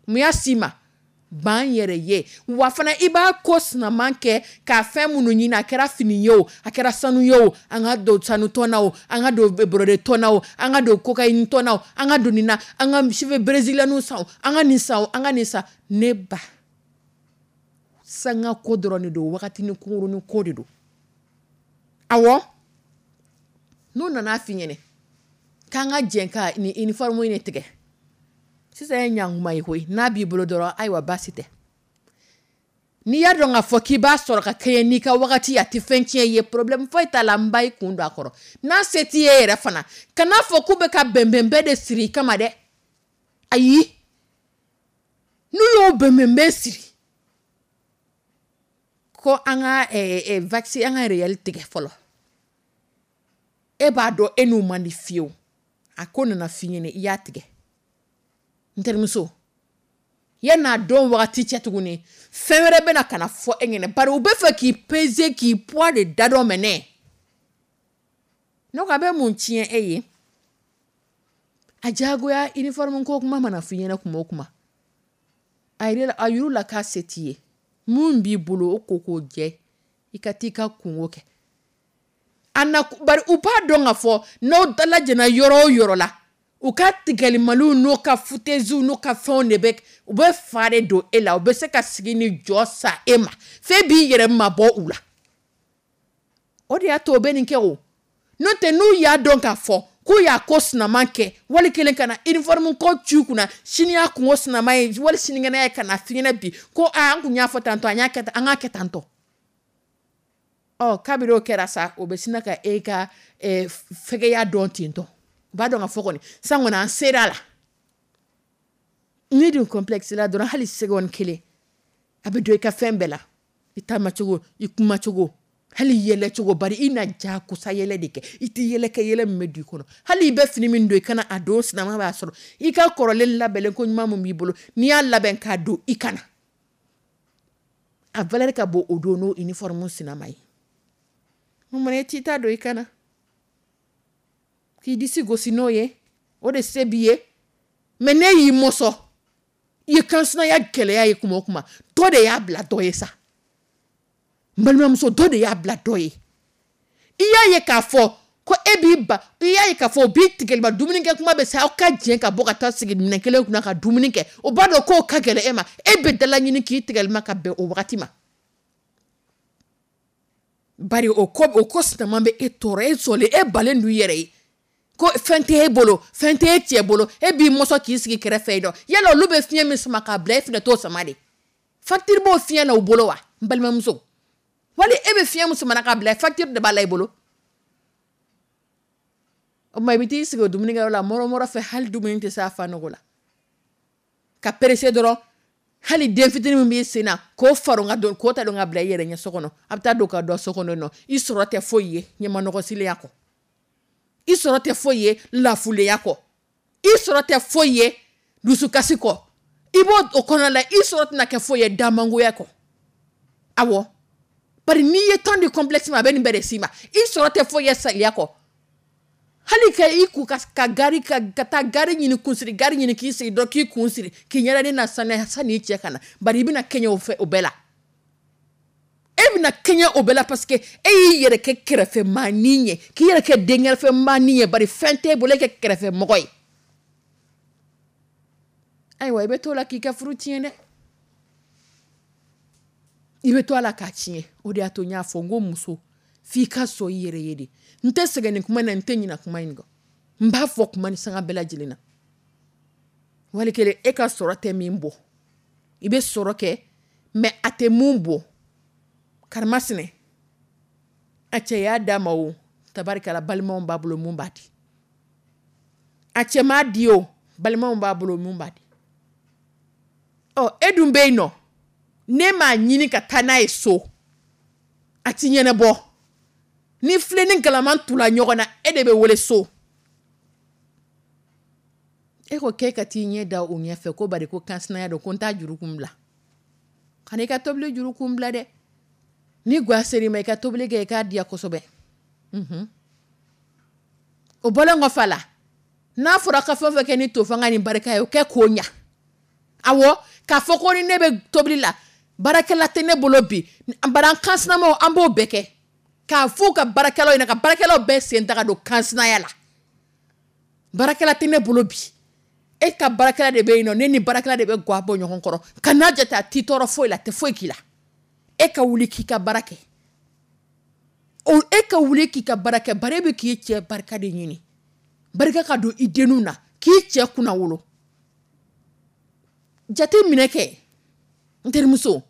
Mun y'a s'i ma? Ban yɛrɛ ye. Wa fana, i b'a ko sinaman kɛ ka fɛn minnu ɲini, a kɛra fini ye o, a kɛra sanu ye o, an ka don sanu tɔn na o, an ka don brodé tɔn na o, an ka don cocaïne tɔn na o, an ka don nin na, an ka cheveux brésiliens san o, an ka nin san o, an ka nin san. Ne ba, sanga ko dɔrɔn de don, wagatinin kunkurunin ko de don. Awɔ, n'u nana f'i ɲɛnɛ k'an ka jɛn ka nin uniforme in tigɛ sisan, ye ɲankuma ye koyi. N'a b'i bolo dɔrɔn, ayiwa, baasi tɛ. N'i y'a dɔn k'a fɔ k'i b'a sɔrɔ ka kɛɲɛ n'i ka wagati, a tɛ fɛn tiɲɛ ye, problème foyi t'a la, n ba, i kun don a kɔrɔ. N'a se t'i ye yɛrɛ fana, kan'a fɔ k'u bɛ ka bɛnbɛnbɛn de siri i kama dɛ. Ayi, n'u y'o bɛnbɛnbɛn siri ko an ka vaccin, an ka réel tigɛ fɔlɔ, e b'a dɔn e n'u man di fiyewu. A ko nana f'i ɲɛna, i y'a tigɛ. N terimuso, yan'a dɔn wagati cɛ tuguni, fɛn wɛrɛ bɛna ka na fɔ e ɲɛna, bari u bɛ fɛ k'i peser, k'i poids de da dɔ mɛnɛ. Ne ko a bɛ mun tiɲɛ e ye? A diyagoya uniforme ko kuma mana f'i ɲɛna kuma o kuma, a yir'u la k'a se t'i ye. Mun b'i bolo, o ko k'o jɛ, i ka t'i ka kungo kɛ. A na bari u b'a dɔn k'a fɔ n'aw dalajɛna yɔrɔ o yɔrɔ la, u ka tigɛlimaliw n'u ka foutaisiw n'u ka fɛnw de bɛ, u bɛ fa de don e la. U bɛ se ka sigi ni jɔ sa e ma, f'e b'i yɛrɛ mabɔ u la. O de y'a to u bɛ nin kɛ. O n'o tɛ, n'u y'a dɔn k'a fɔ k'u y'a ko sinaman kɛ, wali kelen ka na uniforme ko ci kunna, sini y'a kungo sinaman ye, wali sinikɛnɛ ye ka na f'i ɲɛna bi ko aa, an kun y'a fɔ tantɔ, an y'a kɛ tan, an k'a kɛ tantɔ. Ɔ, kabini o kɛra sa, o bɛ sina ka e ka fɛgɛya dɔn ten tɔ. U b'a dɔn ka fɔ kɔni san kɔni, an sera a la. N'i dun complexe la dɔrɔn, hali seconde kelen, a bɛ don i ka fɛn bɛɛ la, i taamacogo, i kumacogo, hali yɛlɛcogo. Bari i na jagosa yɛlɛ de kɛ, i tɛ yɛlɛ kɛ yɛlɛ min bɛ don i kɔnɔ. Hali i bɛ fini min don i kana, a don sinama b'a sɔrɔ i ka kɔrɔlen labɛnlen ko ɲuman min b'i bolo, n'i y'a labɛn k'a don i kana, a valeur ka bon o don n'o uniforme sinama ye. Mun e t'i ta don i kana k'i disi gosi n'o ye? O de se b'i ye. Mɛ ne y'i mɔsɔn, i ye kansinaya gɛlɛya ye kuma o kuma, dɔ de y'a bila dɔ ye sa. N balimamuso, dɔ de y'a bila dɔ ye. I y'a ye k'a fɔ ko e b'i ba, i y'a ye k'a fɔ o b'i tigɛliba. Dumunikɛ kuma bɛ se, aw ka jɛn ka bɔ ka taa sigi minɛn kelen kunna ka dumuni kɛ, o b'a dɔn k'o ka gɛlɛn e ma. E bɛ dala ɲini k'i tigɛlima ka bɛn o wagati ma, bari o ko sinaman bɛ e tɔɔrɔ. E sɔlen, e balen don i yɛrɛ ye ko fɛn tɛ e bolo, fɛn tɛ e cɛ bolo, e b'i mɔsɔn k'i sigi kɛrɛfɛ yen nɔ. Yala olu bɛ fiɲɛ min sama k'a bila, e fɛnɛ t'o sama de? Facture b'o fiɲɛ na u bolo wa, n balimamuso? Wali e bɛ fiɲɛ min sama k'a bila, facture de b'a la i bolo. O tuma, i bɛ t'i sigi o dumunikɛyɔrɔ la mɔrɔ mɔrɔ fɛ, hali dumuni tɛ se a fa nɔgɔ la, ka pressé dɔrɔn. Hali den fitinin min b'i sen na, k'o faron ka don, k'o ta don ka bila i yɛrɛ ɲɛ so kɔnɔ, a bɛ taa don ka don so kɔnɔ nɔ. I sɔrɔ tɛ foyi ye ɲɛmanɔgɔsilenya kɔ, i sɔrɔ tɛ foyi ye lafulenya kɔ, i sɔrɔ tɛ foyi ye dusukasi kɔ. I b'o o kɔnɔna la, i sɔrɔ tɛna kɛ foyi ye damangoya kɔ. Awɔ, bari n'i ye temps de complexe ma, a bɛ nin bɛɛ de s'i ma. I sɔrɔ tɛ foyi ye saliya kɔ. Hali ka i ku ka gari ka taa gari ɲini, kunsiri gari ɲini, k'i sigi dɔrɔn, k'i kun siri, k'i ɲɛda ne na saniya sanni i cɛ ka na. Bari i bɛna kɛɲɛ o fɛ, o bɛɛ la e bɛna kɛɲɛ o bɛɛ la, parce que e y'i yɛrɛ kɛ kɛrɛfɛmaanin ye, k'i yɛrɛ kɛ denkɛrɛfɛmaanin ye, bari fɛn t'e bolo, e kɛ kɛrɛfɛmɔgɔ ye. Ayiwa, i bɛ t'o la k'i ka furu tiɲɛ dɛ, i bɛ to a la k'a tiɲɛ. O de y'a to n y'a fɔ n ko muso, f'i ka sɔn i yɛrɛ ye de. N tɛ sɛgɛn nin kuma in na, n tɛ ɲinɛ kuma in kɔ, n b'a fɔ kuma ni sanga bɛɛ lajɛlen na. Wali kelen e ka sɔrɔ tɛ min bɔ, i bɛ sɔrɔ kɛ mais a tɛ mun bɔ. Karimasina a cɛ y'a d'a ma o, tabarikala, balimaw b'a bolo mun b'a di. A cɛ m'a di o, balimaw b'a bolo mun b'a di. Ɔ, e dun bɛ yen nɔ, ne m'a ɲini ka taa n'a ye so, a ti ɲɛnabɔ. Ni filen ni galama tula ɲɔgɔn na, e de bɛ wele so. E ko k'e ka t'i ɲɛ da o ɲɛfɛ ko bari ko kansinaya don, ko n t'a juru kun bila. Kana i ka tobili juru kun bila dɛ. Ni gwa ser'i ma, i ka tobili kɛ, i k'a diya kosɛbɛ. O bɔlen kɔfɛ a la, n'a fɔra ka fɛn o fɛn kɛ ni tofanga ni barika ye, o kɛ k'o ɲa. Awɔ, k'a fɔ ko ni ne bɛ tobili la, baarakɛla tɛ ne bolo bi, bari an kansinamaw an b'o bɛɛ kɛ k'a f'u ka baarakɛlaw ɲɛna, ka baarakɛlaw bɛɛ sen ta ka don kansinaya la. Baarakɛla tɛ ne bolo bi, e ka baarakɛla de bɛ yen nɔ, ne ni baarakɛla de bɛ gwa bɔ ɲɔgɔn kɔrɔ. Kan'a jate, a t'i tɔɔrɔ foyi la, a tɛ foyi k'i la. E ka wuli k'i ka baara kɛ, o e ka wuli k'i ka baara kɛ, bari e bɛ k'i cɛ barika de ɲini, barika ka don i denninw na, k'i cɛ kunna wolo. Jate minɛ kɛ, n terimuso,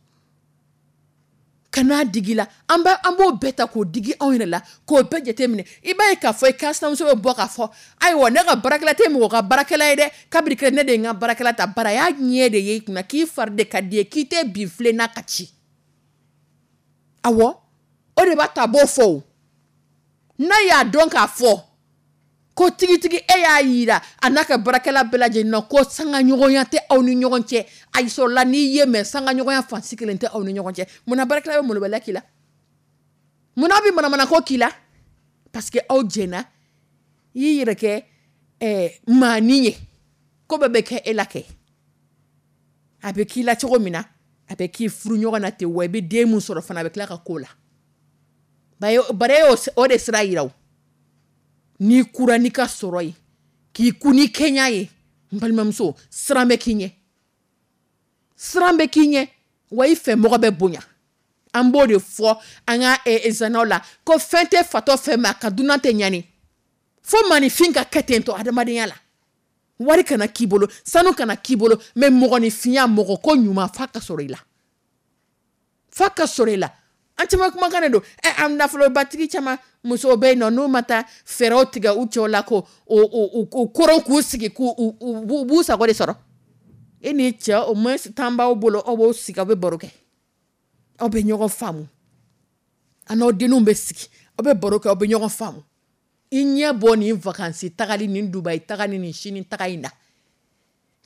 kan'a digi la. An b'o bɛɛ ta k'o digi anw yɛrɛ la, k'o bɛɛ jate minɛ. I b'a ye k'a fɔ i kansinamuso bɛ bɔ k'a fɔ ayiwa, ne ka baarakɛla tɛ mɔgɔ ka baarakɛla ye dɛ, kabiri kɛ ne de ye n ka baarakɛla ta, bari a y'a ɲɛ de ye i kunna, k'i fari de ka di ye, k'i tɛ bin filen na ka ci. Awɔ, o de b'a to a b'o fɔ o. N'a y'a dɔn k'a fɔ ko tigitigi e y'a yira a n'a ka baarakɛla bɛɛ lajɛlen na ko sangaɲɔgɔnya tɛ aw ni ɲɔgɔn cɛ, ayi sɔrɔla n'i ye, mais sangaɲɔgɔnya fansi kelen tɛ aw ni ɲɔgɔn cɛ. Munna baarakɛla bɛ molobaliya k'i la? Munna bɛ manamanako k'i la? Parce que aw jɛnna, i y'i yɛrɛ kɛ maanin ye, ko bɛɛ bɛ kɛ e la kɛ. A bɛ k'i la cogo min na, a bɛ k'i furu ɲɔgɔn na ten, wa i bɛ den mun sɔrɔ fana, a bɛ tila ka k'o la. Bari e y'o o de sira yira o. N'i kura n'i ka sɔrɔ ye, k'i ku ni kɛɲa ye, n balimamuso, siran bɛ k'i ɲɛ, siran bɛ k'i ɲɛ, wa i fɛ mɔgɔ bɛ bonya. An b'o de fɔ an ka zanaw la ko fɛn tɛ fatɔ fɛ, ma a ka dunan tɛ ɲani. Fo maaninfin ka kɛ ten tɔ adamadenya la. Wari kana k'i bolo, sanu kana k'i bolo, mais mɔgɔninfinya, mɔgɔ ko ɲuman, f'a ka sɔrɔ i la, f'a ka sɔrɔ i la. An caman kumakan de don. An nafolobatigi caman musow bɛ yen nɔ, n'u ma taa fɛɛrɛw tigɛ u cɛw la ko o koron k'u sigi k'u u b'u sago de sɔrɔ. E n'i cɛ, au moins temps b'aw bolo, aw b'aw sigi, aw bɛ baro kɛ, aw bɛ ɲɔgɔn faamu, a n'aw denninw bɛ sigi, aw bɛ baro kɛ, aw bɛ ɲɔgɔn faamu. I ɲɛ bɔ nin vacances tagali, nin Dubayi tagali, nin Sini taga in na,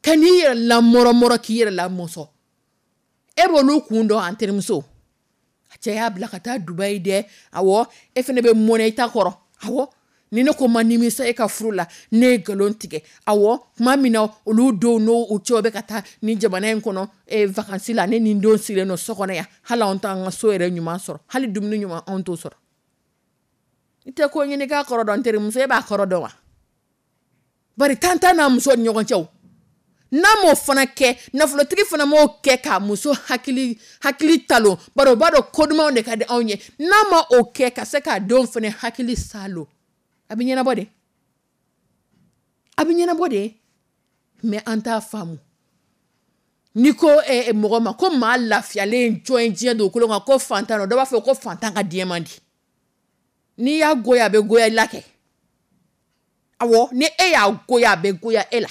ka n'i yɛrɛ lamɔrɔmɔrɔ, k'i yɛrɛ lamɔsɔn. E b'olu kun dɔn, an terimuso. A cɛ y'a bila ka taa Dubayi dɛ. Awɔ, e fana bɛ mɔnɛ i ta kɔrɔ. Awɔ, ni ne ko ma nimisa e ka furu la, ne ye nkalon tigɛ. Awɔ, tuma min na olu denw n'u cɛw bɛ ka taa nin jamana in kɔnɔ vacances la, ne ni n denw sigilen don so kɔnɔ yan, hali anw t'an ka so yɛrɛ ɲuman sɔrɔ, hali dumuni ɲuman anw t'o sɔrɔ. I tɛ ko ɲini k'a kɔrɔ dɔn, n terimuso, e b'a kɔrɔ dɔn wa? Bari tan t'a n'a muso ni ɲɔgɔn cɛ o. N'a m'o fana kɛ, nafolotigi fana m'o kɛ k'a muso hakili talon, bari o b'a dɔn ko dumanw de ka di anw ye. N'a ma o kɛ ka se k'a denw fana hakili salo, a bɛ ɲɛnabɔ de, a bɛ ɲɛnabɔ de. Mais an t'a faamu. N'i ko mɔgɔ ma ko maa lafiyalen jɔn ye diɲɛ dugukolo kan, ko fantan don, dɔ b'a fɔ ko fantan ka diɲɛ man di. N'i y'a goya, a bɛ goya i la kɛ. Awɔ, ni e y'a goya, a bɛ goya e la.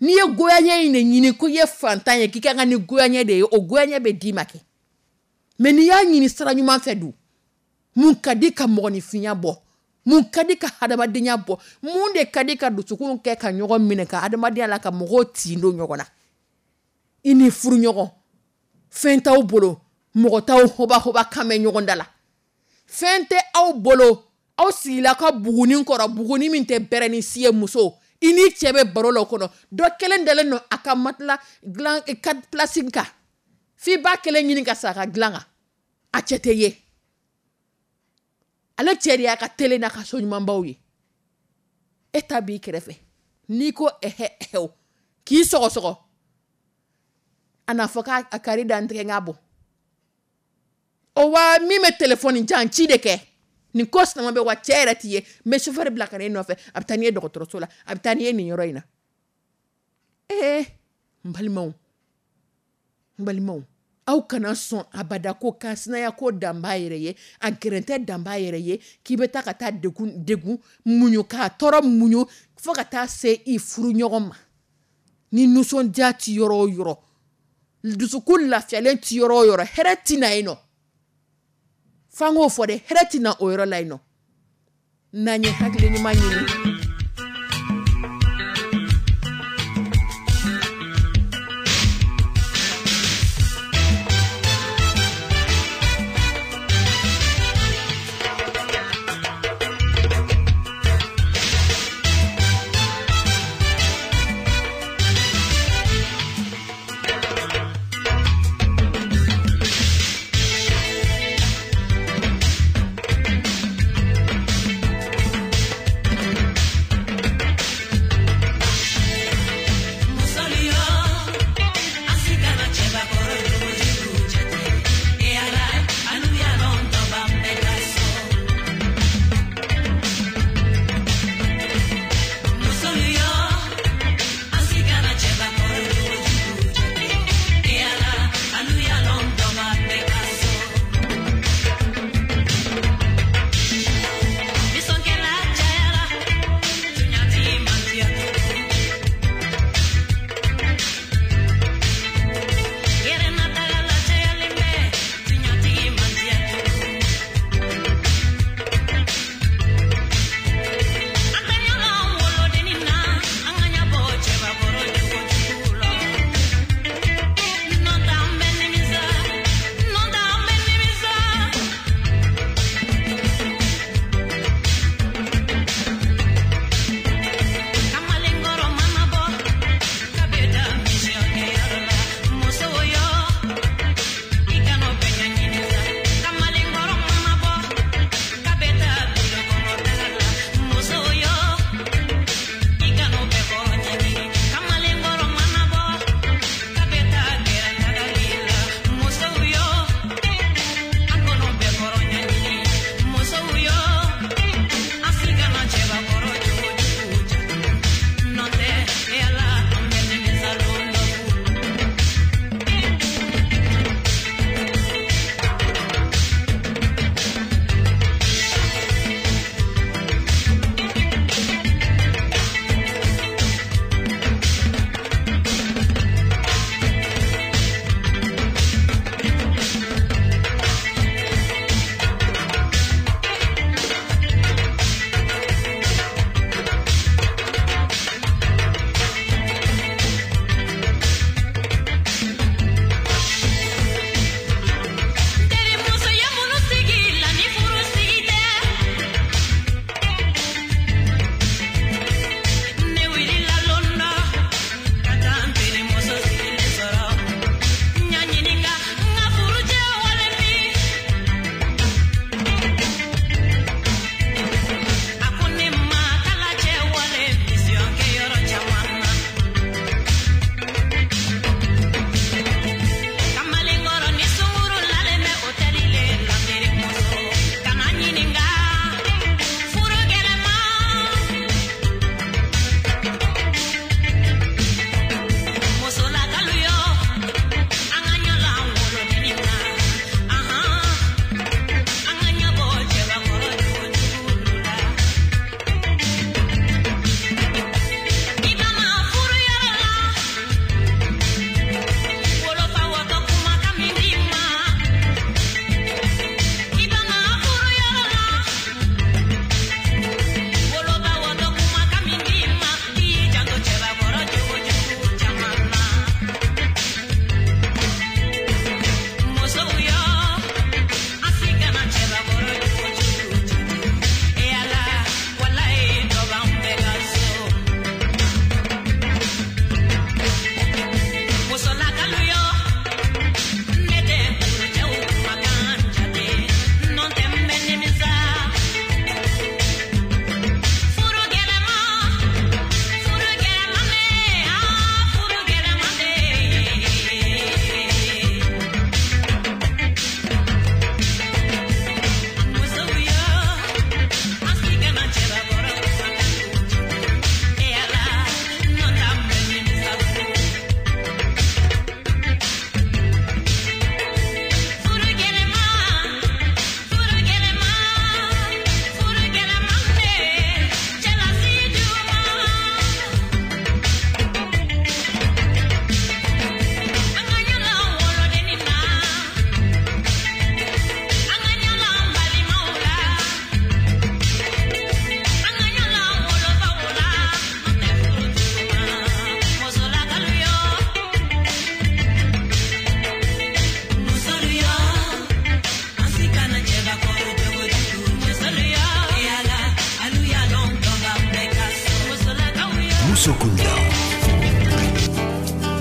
N'i ye goyaɲɛ in de ɲini ko i ye fantan ye, k'i ka kan ni goyaɲɛ de ye, o goyaɲɛ bɛ d'i ma kɛ. Mais n'i y'a ɲini sira ɲuman fɛ dun, mun ka di ka mɔgɔninfinya bɔ, mun ka di ka hadamadenya bɔ, mun de ka di ka dusukun kɛ ka ɲɔgɔn minɛ ka hadamadenya la, ka mɔgɔw tin don ɲɔgɔn na. I ni furuɲɔgɔn, fɛn t'aw bolo, mɔgɔ t'aw hoba hoba kan mɛn ɲɔgɔn da la, fɛn tɛ aw bolo, Aw sigila ka buguni kɔrɔ, buguni min tɛ bɛrɛ ni si ye. Muso, i ni cɛ bɛ baro la o kɔnɔ, dɔ kelen dalen don a ka matelas dilan quatre places kan, f'i b'a kelen ɲini ka sa a ka dilan kan. A cɛ tɛ ye, ale cɛ de y'a ka télé n'a ka so ɲumanbaw ye. E ta b'i kɛrɛfɛ, n'i ko ɛhɛ ɛhɛ k'i sɔgɔsɔgɔ, a n'a fɔ k'a kari da n tigɛ n k'a bɔ. O wa min bɛ telefɔni jan ci de kɛ nin ko sinama bɛ wa, cɛ yɛrɛ t'i ye, n bɛ chauffeur bila ka na e nɔfɛ, a bɛ taa n'i ye dɔgɔtɔrɔso la, a bɛ taa n'i ye nin yɔrɔ in na. Ee, n balimaw, n balimaw, aw kana sɔn abada ko kansinaya ko dan b'a yɛrɛ ye, a gɛrɛntɛ dan b'a yɛrɛ ye, k'i bɛ taa ka taa degun degun muɲu, k'a tɔɔrɔ muɲu fo ka taa se i furu ɲɔgɔn ma. Ni nisɔndiya ti yɔrɔ o yɔrɔ, dusukun lafiyalen ti yɔrɔ o yɔrɔ, hɛrɛ ti na yen nɔ. F'an k'o fɔ dɛ, hɛrɛ ti na o yɔrɔ la yen nɔ. N'an ye hakili ɲuman ɲini.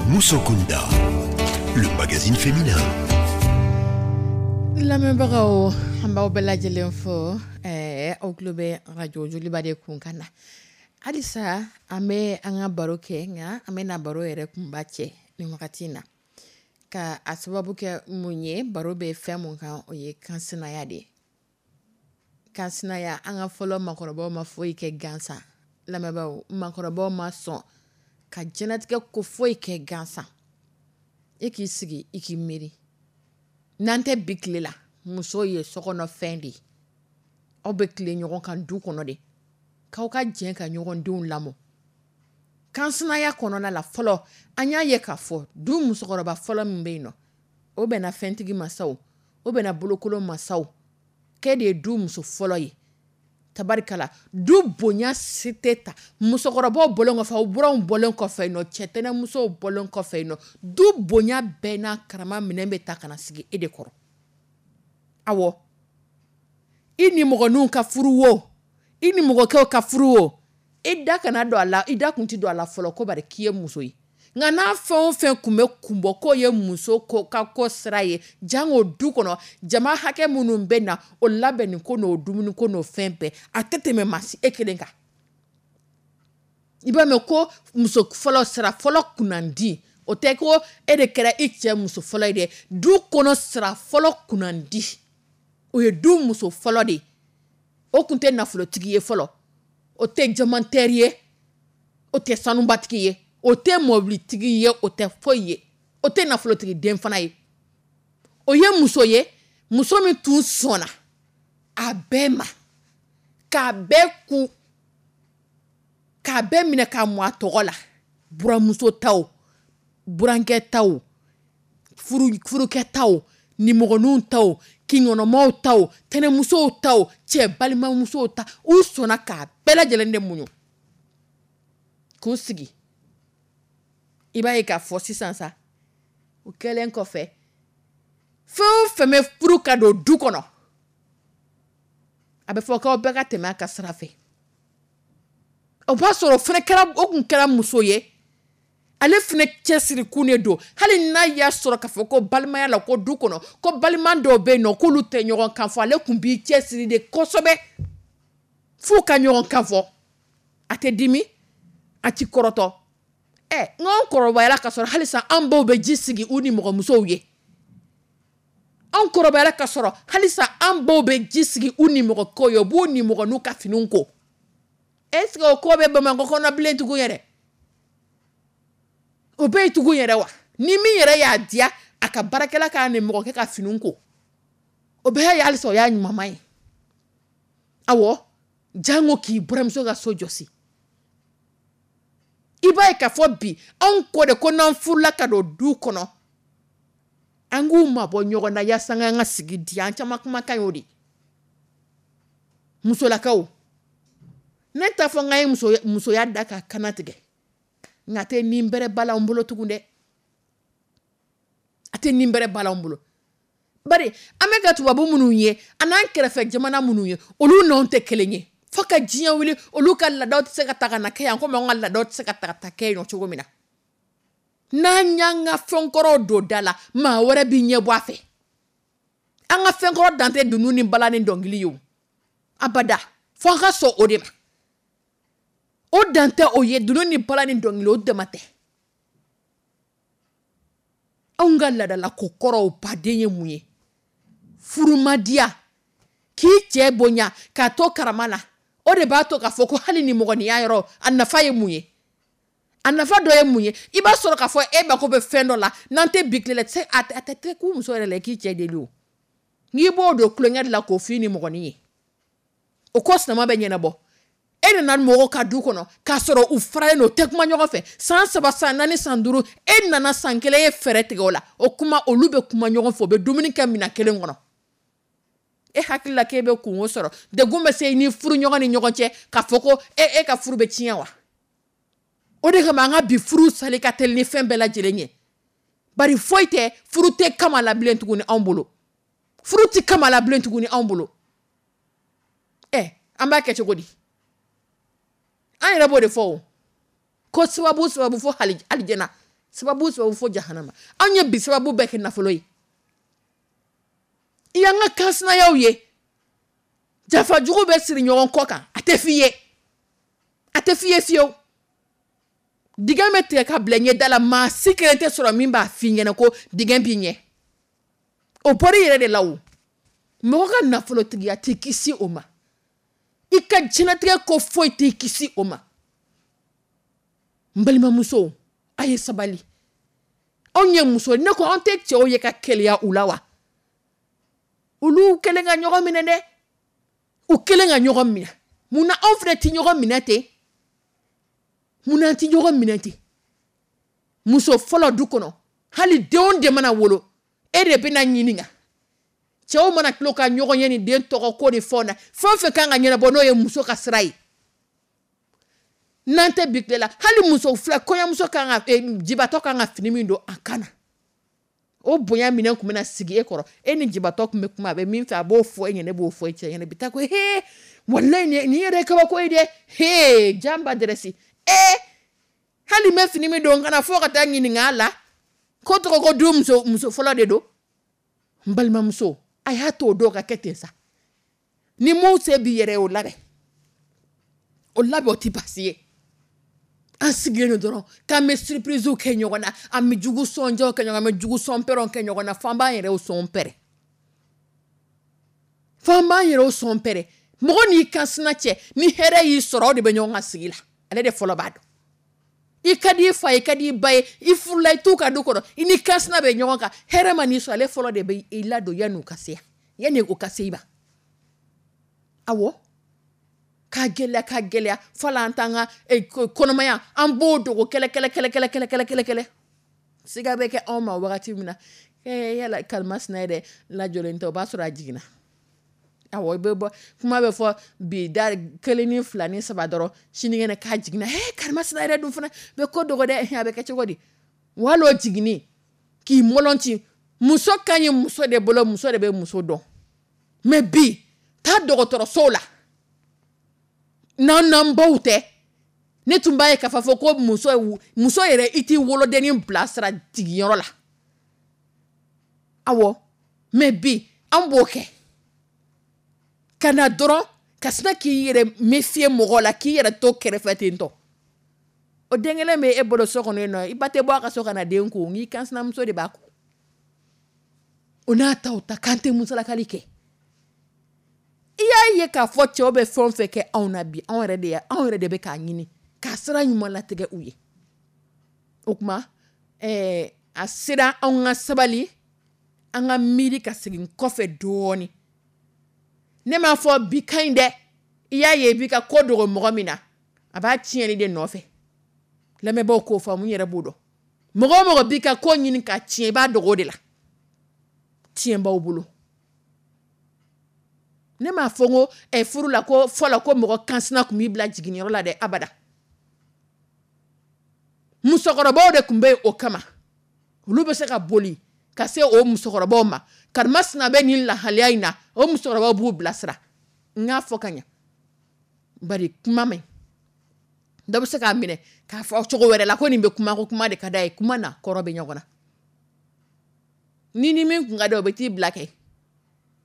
Musokunda, le magazine féminin. Lamɛnbagaw, an b'aw bɛɛ lajɛlen fo. Aw tulo bɛ radio Joliba de kun kan na halisa. An bɛ an ka baro kɛ, nka an bɛna baro yɛrɛ kunba cɛ nin wagati in na, ka a sababu kɛ mun ye? Baro bɛ fɛn mun kan, o ye kansinaya de ye. Kansinaya, an ka fɔlɔ makɔrɔbaw ma foyi kɛ gansan. Lamɛnbaaw, makɔrɔbaw ma sɔn ka diɲɛlatigɛ ko foyi kɛ gansan. E k'i sigi, i k'i miiri, n'an tɛ bi tile la, muso ye sokɔnɔfɛn de ye. Aw bɛ tile ɲɔgɔn kan du kɔnɔ de, k'aw ka jɛ ka ɲɔgɔn denw lamɔ. Kansinaya kɔnɔna la fɔlɔ, an y'a ye k'a fɔ du musokɔrɔba fɔlɔ min bɛ yen nɔ, o bɛnna fɛntigi masaw, o bɛnna bolokolon masaw, k'e de ye du muso fɔlɔ ye. Tabarikala, du bonya si tɛ ta musokɔrɔbaw bɔlen kɔfɛ, aw buranw bɔlen kɔfɛ yen nɔ, cɛtɛnɛmusow bɔlen kɔfɛ yen nɔ, du bonya bɛɛ n'a karama minɛn bɛ ta ka na sigi e de kɔrɔ. Awɔ, i ni mɔgɔninw ka furu wo, i ni mɔgɔkɛw ka furu wo, i da kana don a la. I da kun ti don a la fɔlɔ ko bari k'i ye muso ye. Nka n'a fɛn o fɛn kun bɛ kun bɔ k'o ye muso ko ka ko sira ye, jango du kɔnɔ, jama hakɛ minnu bɛ na, o labɛnni ko n'o dumuni ko n'o fɛn bɛɛ, a tɛ tɛmɛ maa si e kelen kan. I b'a mɛn ko muso fɔlɔ, sira fɔlɔ kunnandi. O tɛ ko e de kɛra i cɛ muso fɔlɔ ye dɛ. Du kɔnɔ, sira fɔlɔ kunnandi, o ye du muso fɔlɔ de ye. O tun tɛ nafolotigi ye fɔlɔ, o tɛ jamantɛri ye, o tɛ sanubatigi ye, o tɛ mɔbilitigi ye, o tɛ foyi ye, o tɛ nafolotigi den fana ye. O ye muso ye, muso min tun sɔnna a bɛɛ ma, k'a bɛɛ kun, k'a bɛɛ minɛ k'a mɔ a tɔgɔ la: buramuso taw, burankɛ taw, furukɛ taw, nimɔgɔninw taw, kinkɔnɔmaw taw, tɛnɛmusow taw, cɛ balimamusow ta. U sɔnna k'a bɛɛ lajɛlen de muɲu k'u sigi. I b'a ye k'a fɔ sisan sa, o kɛlen kɔfɛ, fɛn o fɛn bɛ furu ka don du kɔnɔ, a bɛ fɔ k'aw bɛɛ ka tɛmɛ a ka sira fɛ. O b'a sɔrɔ o fana kɛra, o kun kɛra muso ye, ale fana cɛsiri kun de don. Hali n'a y'a sɔrɔ k'a fɔ ko balimaya la, ko du kɔnɔ, ko balima dɔw bɛ yen nɔ k'olu tɛ ɲɔgɔn kan fɔ, ale kun b'i cɛsiri de kosɛbɛ f'u ka ɲɔgɔn kan fɔ. A tɛ dimi, a ti kɔrɔtɔ. Ɛ, n k'anw kɔrɔbayara ka sɔrɔ halisa an baw bɛ ji sigi u ni mɔgɔmusow ye. Anw kɔrɔbayara ka sɔrɔ halisa an baw bɛ ji sigi u ni mɔgɔkɛw ye, u b'u ni mɔgɔninw ka finiw ko. Est ce que o ko bɛ Bamakɔ kɔnɔ bilen tugun yɛrɛ? O bɛ yen tugun yɛrɛ wa? Ni min yɛrɛ y'a diya, a ka baarakɛla k'a ni mɔgɔkɛ ka finiw ko, o bɛɛ ye halisa o y'a ɲumanma ye. Awɔ, jango k'i buramuso ka so jɔsi. I b'a ye k'a fɔ bi, anw ko de ko n'an furula ka don du kɔnɔ, an k'u mabɔ ɲɔgɔn na yaasa an ka sigi diya. An caman kumakan y'o de. Musolakaw, ne t'a fɔ n k'an ye musoya da ka kana tigɛ, nka a tɛ nin bɛrɛ ba la an bolo tugun dɛ. A tɛ nin bɛrɛ ba la an bolo, bari an bɛ ka tubabu minnu ye, an n'an kɛrɛfɛ jamana minnu ye, olu n'anw tɛ kelen ye. Fo ka diɲɛ wuli, olu ka laadaw tɛ se ka ta ka na kɛ yan komi anw ka laadaw tɛ se ka ta ka taa kɛ yen cogo min na. N'an y'an ka fɛnkɔrɔw don da la, maa wɛrɛ b'i ɲɛ bɔ a fɛ. An ka fɛnkɔrɔ dan tɛ dunun ni bala ni dɔnkili ye o, abada. Fo an ka sɔn o de ma. O dan tɛ o ye, dunun ni bala ni dɔnkili, o dama tɛ. Anw ka laadalako kɔrɔw baden ye mun ye? Furumadiya, k'i cɛ bonya k'a to karama la, o de b'a to k'a fɔ ko hali ni mɔgɔninya yɔrɔ, a nafa ye mun ye? A nafa dɔ ye mun ye? I b'a sɔrɔ k'a fɔ e mako bɛ fɛn dɔ la, n'an tɛ bi tile la, a tɛ k'u muso yɛrɛ la i k'i cɛ deli. O n'i b'o don tulonkɛ de la k'o f'i ni mɔgɔnin ye, o ko sinama bɛ ɲɛnabɔ. E nana mɔgɔw ka du kɔnɔ k'a sɔrɔ u faralen don, u tɛ kuma ɲɔgɔn fɛ, san 3, san 4, san 5, e nana san 1 ye fɛɛrɛ tigɛ o la. O kuma, olu bɛ kuma ɲɔgɔn fɛ, u bɛ dumuni kɛ minɛn kelen kɔnɔ. E hakili la k'e bɛ kungo sɔrɔ, degun bɛ se i ni furu ɲɔgɔn ni ɲɔgɔn cɛ, k'a fɔ ko e ka furu bɛ tiɲɛ wa? O de kama an ka bi furu sali ka teli ni fɛn bɛɛ lajɛlen ye, bari foyi tɛ, furu tɛ kama la bilen tuguni anw bolo. Furu tɛ kama la bilen tuguni anw bolo. Ɛ, an b'a kɛ cogo di? An yɛrɛ b'o de fɔ o, ko sababu sababu fo alijana. Sababu sababu fo jahanama. Anw ye bi sababu bɛɛ kɛ nafolo ye. I y'an ka kansinayaw ye, jafajugu bɛ siri ɲɔgɔn kɔ kan, a tɛ f'i ye, a tɛ f'i ye fiyewu. Dingɛ bɛ tigɛ ka bila ɲɛ da la, maa si kelen tɛ sɔrɔ min b'a f'i ɲɛna ko dingɛ b'i ɲɛ. O bɔra i yɛrɛ de la o. Mɔgɔ ka nafolotigiya t'i kisi o ma, i ka diɲɛlatigɛ ko foyi t'i kisi o ma. N balimamusow, a ye sabali. Anw ye muso, ne ko anw tɛ cɛw ye ka keleya u la wa? Olu kɛlen ka ɲɔgɔn minɛ dɛ, u kɛlen ka ɲɔgɔn minɛ. Munna anw fana tɛ ɲɔgɔn minɛ ten? Munna an tɛ ɲɔgɔn minɛ ten? Muso fɔlɔ du kɔnɔ, hali denw de mana wolo, e de bɛna ɲininka. Cɛw mana tulo ka ɲɔgɔn ye ni den tɔgɔ ko ni fɛnw na, fɛn o fɛn kan ka ɲɛnabɔ n'o ye muso ka sira ye. N'an tɛ bi tile la, hali muso fila kɔɲɔmuso kan ka jibatɔ kan ka fini min don a kan na, o bonya minɛn tun bɛna sigi e kɔrɔ. E ni jibatɔ tun bɛ kuma, a bɛ min fɛ a b'o fɔ e ɲɛna, ne b'o fɔ e cɛ ɲɛna. Bi taa ko he, walayi nin yɛrɛ ye kabako ye dɛ, he janba dɛrɛsi. Hali n bɛ fini min don n kana fo ka taa ɲininka a la ko tɔgɔ ko du muso fɔlɔ de don. N balimamuso, a y'a to o dɔw ka kɛ ten sa. Ni mun se b'i yɛrɛ ye, o labɛn, o labɛn, o tɛ baasi ye. An sigilen don dɔrɔn k'an bɛ surprise kɛ ɲɔgɔn na, an bɛ jugu sɔnjaw kɛ ɲɔgɔn na, an bɛ jugu sɔnpɛrɛnw kɛ ɲɔgɔn na, f'an b'an yɛrɛw sɔn pɛrɛn, f'an b'an yɛrɛw sɔn pɛrɛn. Mɔgɔ n'i ka sina cɛ, ni hɛrɛ y'i sɔrɔ, aw de bɛ ɲɔgɔn ka sigi la, ale de fɔlɔ b'a dɔn. I ka di i fa ye, i ka di i ba ye, i furula, i t'u ka du kɔnɔ, i ni kansina bɛ ɲɔgɔn kan, hɛrɛ ma n'i sɔrɔ, ale fɔlɔ de bɛ i ladon yanni u ka se yan, yanni o ka se i ma. Awɔ, k'a gɛlɛya, k'a gɛlɛya, fo la an t'an ka kɔnɔmaya, an b'o dogo kɛlɛ kɛlɛ kɛlɛ kɛlɛ kɛlɛ kɛlɛ kɛlɛ kɛlɛ. Siga bɛ kɛ anw ma wagati min na, yala karimasina yɛrɛ lajɔlen tɛ, o b'a sɔrɔ a jiginna. Awɔ, i bɛ bɔ, kuma bɛ fɔ bi da 1 ni 2 ni 3 dɔrɔn, sinikɛnɛ k'a jiginna. Karimasina yɛrɛ dun fana bɛ ko dogo dɛ, a bɛ kɛ cogo di? Walo jiginni k'i mɔlɔnti, muso ka ɲi muso de bolo, muso de bɛ muso dɔn. Mais bi taa dɔgɔtɔrɔsow la, n'an n'an baw tɛ, ne tun b'a ye k'a fɔ ko muso yɛrɛ i t'i wolodennin bilasira jigiyɔrɔ la. Awɔ, mais bi an b'o kɛ. Ka na dɔrɔn ka sina k'i yɛrɛ méfier mɔgɔ la, k'i yɛrɛ to kɛrɛfɛ ten tɔ. O den kelen bɛ e bolo so kɔnɔ yen nɔ, i ba tɛ bɔ a ka so ka na den ko, n'i kansinamuso de b'a ko. O n'a ta o ta k'an tɛ musalakali kɛ. I y'a ye k'a fɔ cɛw bɛ fɛn o fɛn kɛ anw na bi, anw yɛrɛ de bɛ k'a ɲini k'a sira ɲuman latigɛ u ye. O tuma, a sera anw ka sabali, an ka miiri ka segin kɔfɛ dɔɔni. Ne m'a fɔ bi ka ɲi dɛ, i y'a ye i b'i ka ko dogo mɔgɔ min na, a b'a tiɲɛni de nɔfɛ. Lamɛnbaaw k'o faamu, n yɛrɛ b'o dɔn. Mɔgɔ o mɔgɔ b'i ka ko ɲini k'a tiɲɛ, i b'a dogo o de la. Tiɲɛ b'aw bolo. Ne m'a fɔ n ko furu la ko fɔlɔ ko mɔgɔ kansina tun b'i bila jiginniyɔrɔ la dɛ, abada. Musokɔrɔbaw de tun bɛ yen o kama. Olu bɛ se ka boli ka se o musokɔrɔbaw ma. Karimasina bɛ nin lahalaya in na, o musokɔrɔbaw b'u bilasira. N k'a fɔ ka ɲɛ. Bari kuma man ɲi. Dɔ bɛ se k'a minɛ k'a fɔ cogo wɛrɛ la ko nin bɛ kuma, ko kuma de ka d'a ye, kuma n'a kɔrɔ bɛ ɲɔgɔn na. Ni ni min kun ka di o bɛ t'i bila kɛ.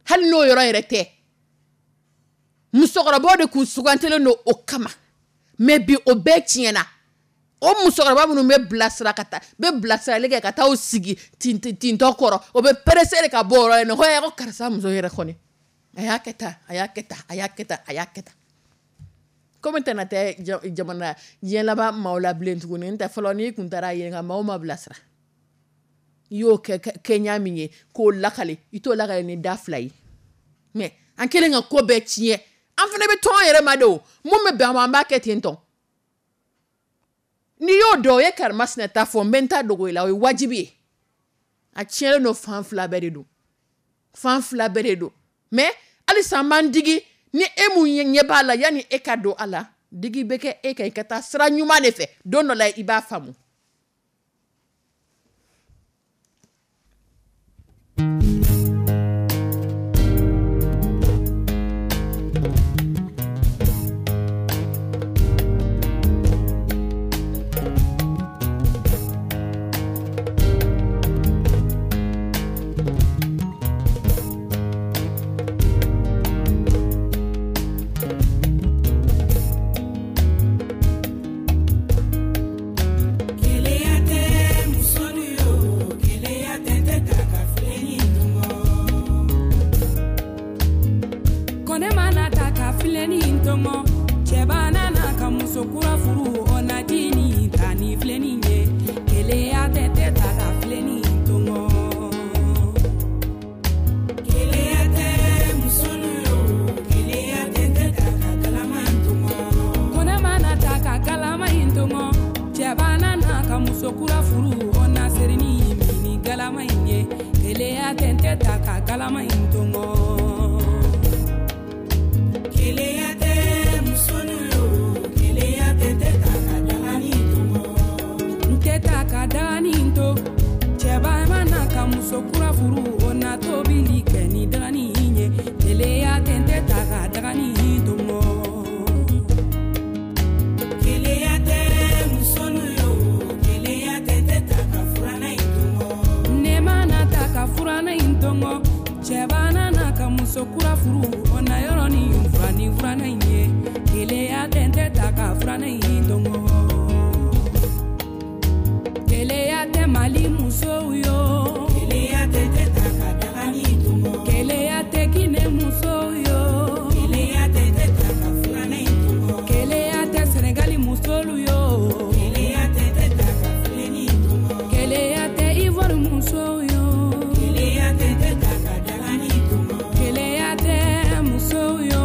Hali n'o yɔrɔ yɛrɛ tɛ. Musokɔrɔbaw de kun sugantilen don o kama. Mais bi o bɛɛ tiɲɛna. O musokɔrɔba minnu bɛ bilasira ka taa, bɛ bilasirali kɛ ka taa u sigi tintɔ kɔrɔ, o bɛ pressé de ka bɔ o yɔrɔ in na. Ko ko karisa muso yɛrɛ kɔni, a y'a kɛ tan, a y'a kɛ tan, a y'a kɛ tan, a y'a kɛ tan. Komi tɛna tɛ jamana diɲɛ laban maaw la bilen tuguni, n tɛ fɔlɔ n'i kun taara yen nka maaw ma bilasira. I y'o kɛ kɛɲa min ye k'o lakale, i t'o lakale ni da fila ye. Mais an kɛlen ka ko bɛɛ tiɲɛ, an fana bɛ tɔn yɛrɛ ma de o. Mun bɛ bɛn an ma, an b'a kɛ ten tɔ. N'i y'o dɔn, o ye karimasina ta fɔ, n bɛ n ta dogo i la, o ye wajibi ye. A tiɲɛlen don fan fila bɛɛ de don. Fan fila bɛɛ de don. Mais halisa an b'an digi ni e mun ɲɛ b'a la, yanni e ka don a la, digi bɛ kɛ e kan, i ka taa sira ɲuman de fɛ. Don dɔ la i b'a faamu. galama in ye. Keleya tɛ n tɛ ta ka galama in tɔmɔ. Keleya tɛ musolu yo, keleya tɛ n tɛ ta ka dagani tɔmɔ. N tɛ ta ka dagani to. Cɛba mana ka muso kura furu, o na tobili kɛ ni dagani ye. Keleya tɛ n tɛ ta ka dagani tɔmɔ. Keleya tɛ musolu yo, keleya tɛ n tɛ ta ka furanna in tɔmɔ. Ne mana ta ka furanna in tɔmɔ, cɛba nana ka muso kura furu, o na yɔrɔnin fura ni furanna in ye. Keleya tɛ n tɛ ta ka furanna in tɔmɔ. Keleya tɛ Mali musow yo. Keleya tɛ n tɛ ta ka dagani tɔmɔ. Keleya tɛ Guinée musow yo. Keleya tɛ n tɛ ta ka furanna in tɔmɔ. Keleya tɛ Senegali musolu yo. Keleya tɛ n tɛ ta ka filenni tɔmɔ. Keleya tɛ Ivoire musow yo. Keleya tɛ n tɛ ta ka dagani tɔmɔ. Keleya tɛ musow yo.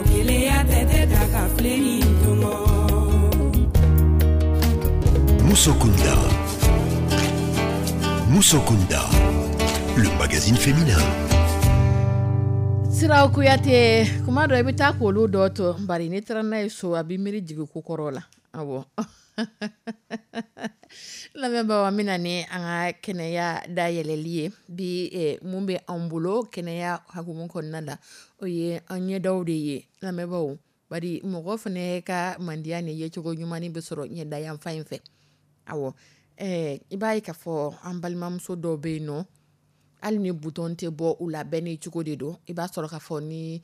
Keleya tɛ n tɛ ta ka filenni tɔmɔ. Musokunda. Musokunda, le magazine féminin. Siraw Kuyate, kuma dɔ i bɛ taa k'olu dɔ to, bari n'i taara n'a ye so, a b'i miiri jigin ko kɔrɔ la. Awɔ, lamɛnbaaw, an bɛna ni an ka kɛnɛya dayɛlɛli ye bi. Mun bɛ an bolo kɛnɛya hukumu kɔnɔna la, o ye an ɲɛdaw de ye, lamɛnbaaw. Bari mɔgɔ fana ka mandiya ni yecogo ɲuman bɛ sɔrɔ ɲɛda yanfan in fɛ. Awɔ, i b'a ye k'a fɔ an balimamuso dɔw bɛ yen nɔ, hali ni bouton tɛ bɔ u la, bɛɛ n'i cogo de don. I b'a sɔrɔ k'a fɔ ni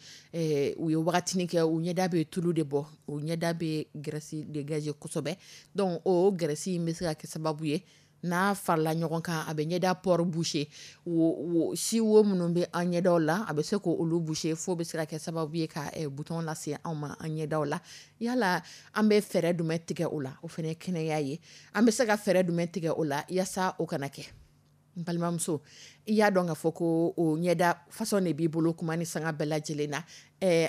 u ye wagatinin kɛ, u ɲɛda bɛ tulu de bɔ, u ɲɛda bɛ graisse dégager kosɛbɛ. Donc o graisse in bɛ se ka kɛ sababu ye, n'a farala ɲɔgɔn kan, a bɛ ɲɛda pore boucher. Wo si wo minnu bɛ an ɲɛdaw la, a bɛ se k'olu boucher, fo bɛ se ka kɛ sababu ye ka bouton lase anw ma an ɲɛdaw la. Yala an bɛ fɛɛrɛ jumɛn tigɛ o la? O fana ye kɛnɛya ye. An bɛ se ka fɛɛrɛ jumɛn tigɛ o la yaasa o kana kɛ? N balimamuso, i y'a dɔn k'a fɔ ko o ɲɛda façon de b'i bolo kuma ni sanga bɛɛ lajɛlen na.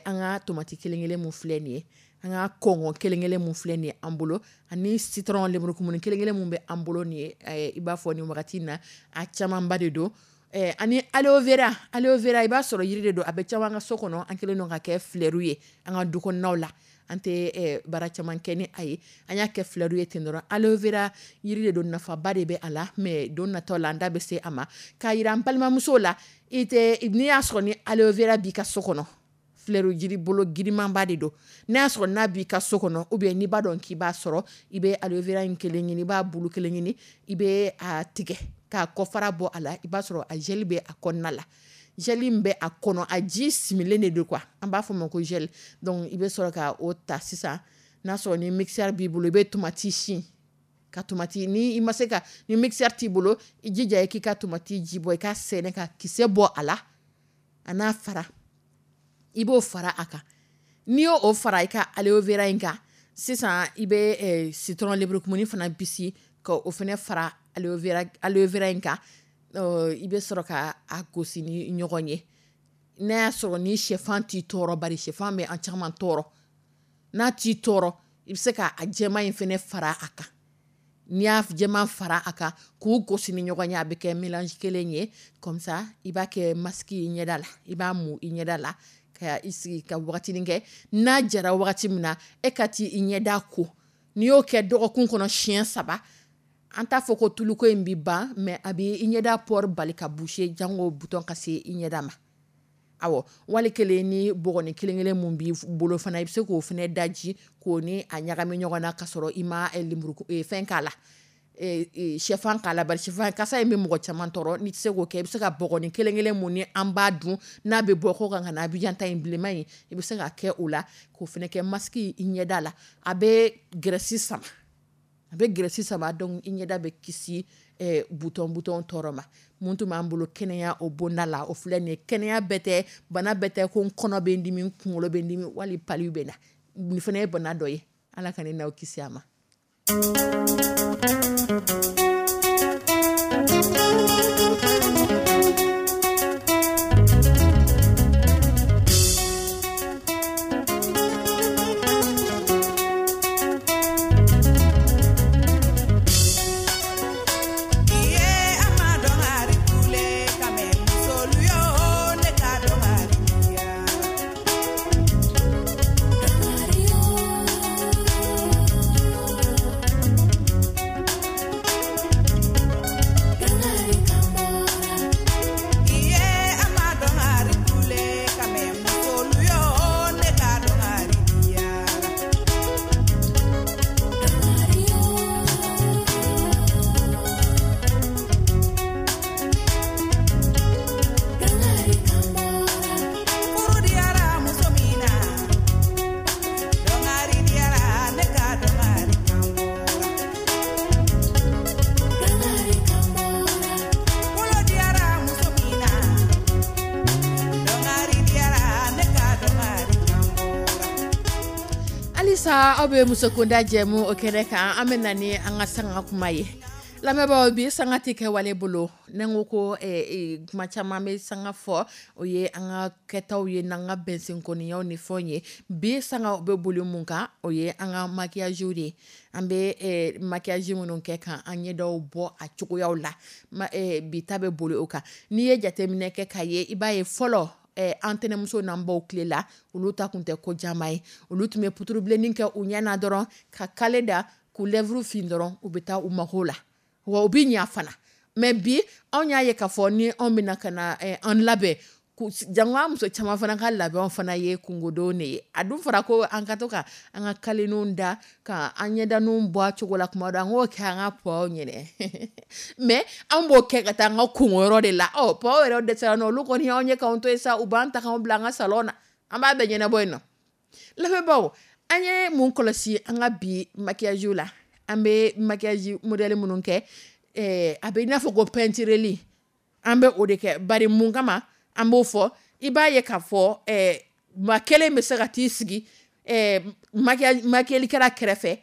An ka tomati kelen kelen mun filɛ nin ye, an ka kɔngɔ kelen kelen mun filɛ nin ye an bolo, ani citron lemurukumuni kelen kelen mun bɛ an bolo nin ye, i b'a fɔ nin wagati in na, a camanba de don. Ani aloe vera. Aloe vera, i b'a sɔrɔ yiri de don, a bɛ caman ka so kɔnɔ. An kɛlen don ka kɛ fleur ye an ka du kɔnɔnaw la, an tɛ baara caman kɛ ni a ye, an y'a kɛ fleur ye ten dɔrɔn. Aloe vera yiri de don, nafaba de bɛ a la, mais don natɔ la an da bɛ se a ma k'a yira an balimamusow la. I tɛ n'i y'a sɔrɔ ni aloe vera b'i ka so kɔnɔ, fleur jiri bolo girimanba de don, n'a y'a sɔrɔ n'a b'i ka so kɔnɔ, ou bien n'i b'a dɔn k'i b'a sɔrɔ, i bɛ aloe vera in kelen ɲini, i b'a bulu kelen ɲini, i bɛ a tigɛ k'a kɔfara bɔ a la. I b'a sɔrɔ a gel bɛ a kɔnɔna la, gel in bɛ a kɔnɔ, a ji similen de don quoi, an b'a fɔ o ma ko gel. Donc i bɛ sɔrɔ ka o ta sisan, n'a sɔrɔ ni mixeur b'i bolo, i bɛ tomati sin ka tomati, ni i ma se ka, ni mixeur t'i bolo, i jija i k'i ka tomati ji bɔ, i ka sɛnɛ ka kisɛ bɔ a la, a n'a fara, i b'o fara a kan. N'i y'o o fara i ka aloe vera in kan sisan, i bɛ citron lemurukumuni fana bisi ka o fana fara aloe vera in kan. I bɛ sɔrɔ ka a gosi ni ɲɔgɔn ye. N'a y'a sɔrɔ ni sɛfan t'i tɔɔrɔ, bari sɛfan bɛ an caman tɔɔrɔ, n'a t'i tɔɔrɔ, i bɛ se ka a jɛman in fana fara a kan. N'i y'a jɛman fara a kan k'u gosi ni ɲɔgɔn ye, a bɛ kɛ mélange kelen ye. Comme ça i b'a kɛ masque i ɲɛda la, i b'a mu i ɲɛda la ka i sigi ka wagatinin kɛ. N'a jara wagati min na, e ka t'i i ɲɛda ko. N'i y'o kɛ dɔgɔkun kɔnɔ siɲɛ 3, an t'a fɔ ko tuluko in bi ban, mais a b'i i ɲɛda pore bali ka boucher, jango bouton ka se i ɲɛda ma. Awɔ, wali kelen ni bɔgɔnin kelen kelen mun b'i bolo fana, i bɛ se k'o fana daji k'o ni a ɲagami ɲɔgɔn na, k'a sɔrɔ i ma lemuru fɛn k'a la, sɛfan k'a la, bari sɛfan kasa in bɛ mɔgɔ caman tɔɔrɔ. N'i tɛ se k'o kɛ, i bɛ se ka bɔgɔnin kelen kelen mun ni an b'a dun n'a bɛ bɔ kɔ kan ka na Abidjan ta in bilenman in, i bɛ se k'a kɛ o la k'o fana kɛ masque i ɲɛda la. A bɛ graisse sama, a bɛ graisse sama, donc i ɲɛda bɛ kisi bouton bouton tɔɔrɔ ma. Mun tun b'an bolo kɛnɛya o bonda la, o filɛ nin ye. Kɛnɛya bɛɛ tɛ bana bɛɛ tɛ ko n kɔnɔ bɛ n dimi, n kunkolo bɛ n dimi, wali palu bɛ n na. Nin fana ye bana dɔ ye, Ala ka ne n'aw kisi a ma. Iye, a ma dɔn. Ayiwa, aw bɛ Musokunda jɛmu o kɛnɛ kan. An bɛ na ni an ka sanga kuma ye. Lamɛnbaaw, bi sanga tɛ kɛ wale bolo. Ne ko kuma caman bɛ sanga fɔ, o ye an ka kɛtaw ye n'an ka bɛnsenkɔniyaw ni fɛnw ye. Bi sanga bɛ boli mun kan? O ye an ka maquillage de ye. An bɛ maquillage minnu kɛ kan an ɲɛdaw bɔ a cogoyaw la, bi ta bɛ boli o kan. N'i ye jateminɛ kɛ k'a ye, i b'a ye fɔlɔ, an tɛnɛmuso n'an baw tile la, olu ta tun tɛ ko caman ye. Olu tun bɛ puturubilennin kɛ u ɲɛ na dɔrɔn, ka kale da, k'u lèvre fin dɔrɔn, u bɛ taa u mago la, wa u bɛ ɲa fana. Mais bi, anw y'a ye k'a fɔ ni anw bɛna ka na an labɛn, jango an muso caman fana ka labɛnw fana ye kungodon de ye. A dun fɔra ko an ka to ka an ka kaleninw da, ka an ɲɛdaninw bɔ a cogo la kuma dɔ, an k'o kɛ an ka pɔw ɲɛnɛ. Mais an b'o kɛ ka taa an ka kungoyɔrɔ de la. Ɔ, pɔw yɛrɛ dɛsɛra nɔ, olu kɔni y'anw ye k'anw to yen sa, u b'an ta k'anw bila an ka salon na, an b'a bɛɛ ɲɛnabɔ yen nɔ. Lamɛnbaaw, an ye mun kɔlɔsi an ka bi maquillage la? An bɛ maquillage modèle minnu kɛ, a bɛ i n'a fɔ ko peintureli, an bɛ o de kɛ. Bari mun kama an b'o fɔ? I b'a ye k'a fɔ maa kelen bɛ se ka t'i sigi maquillage kɛrɛfɛ,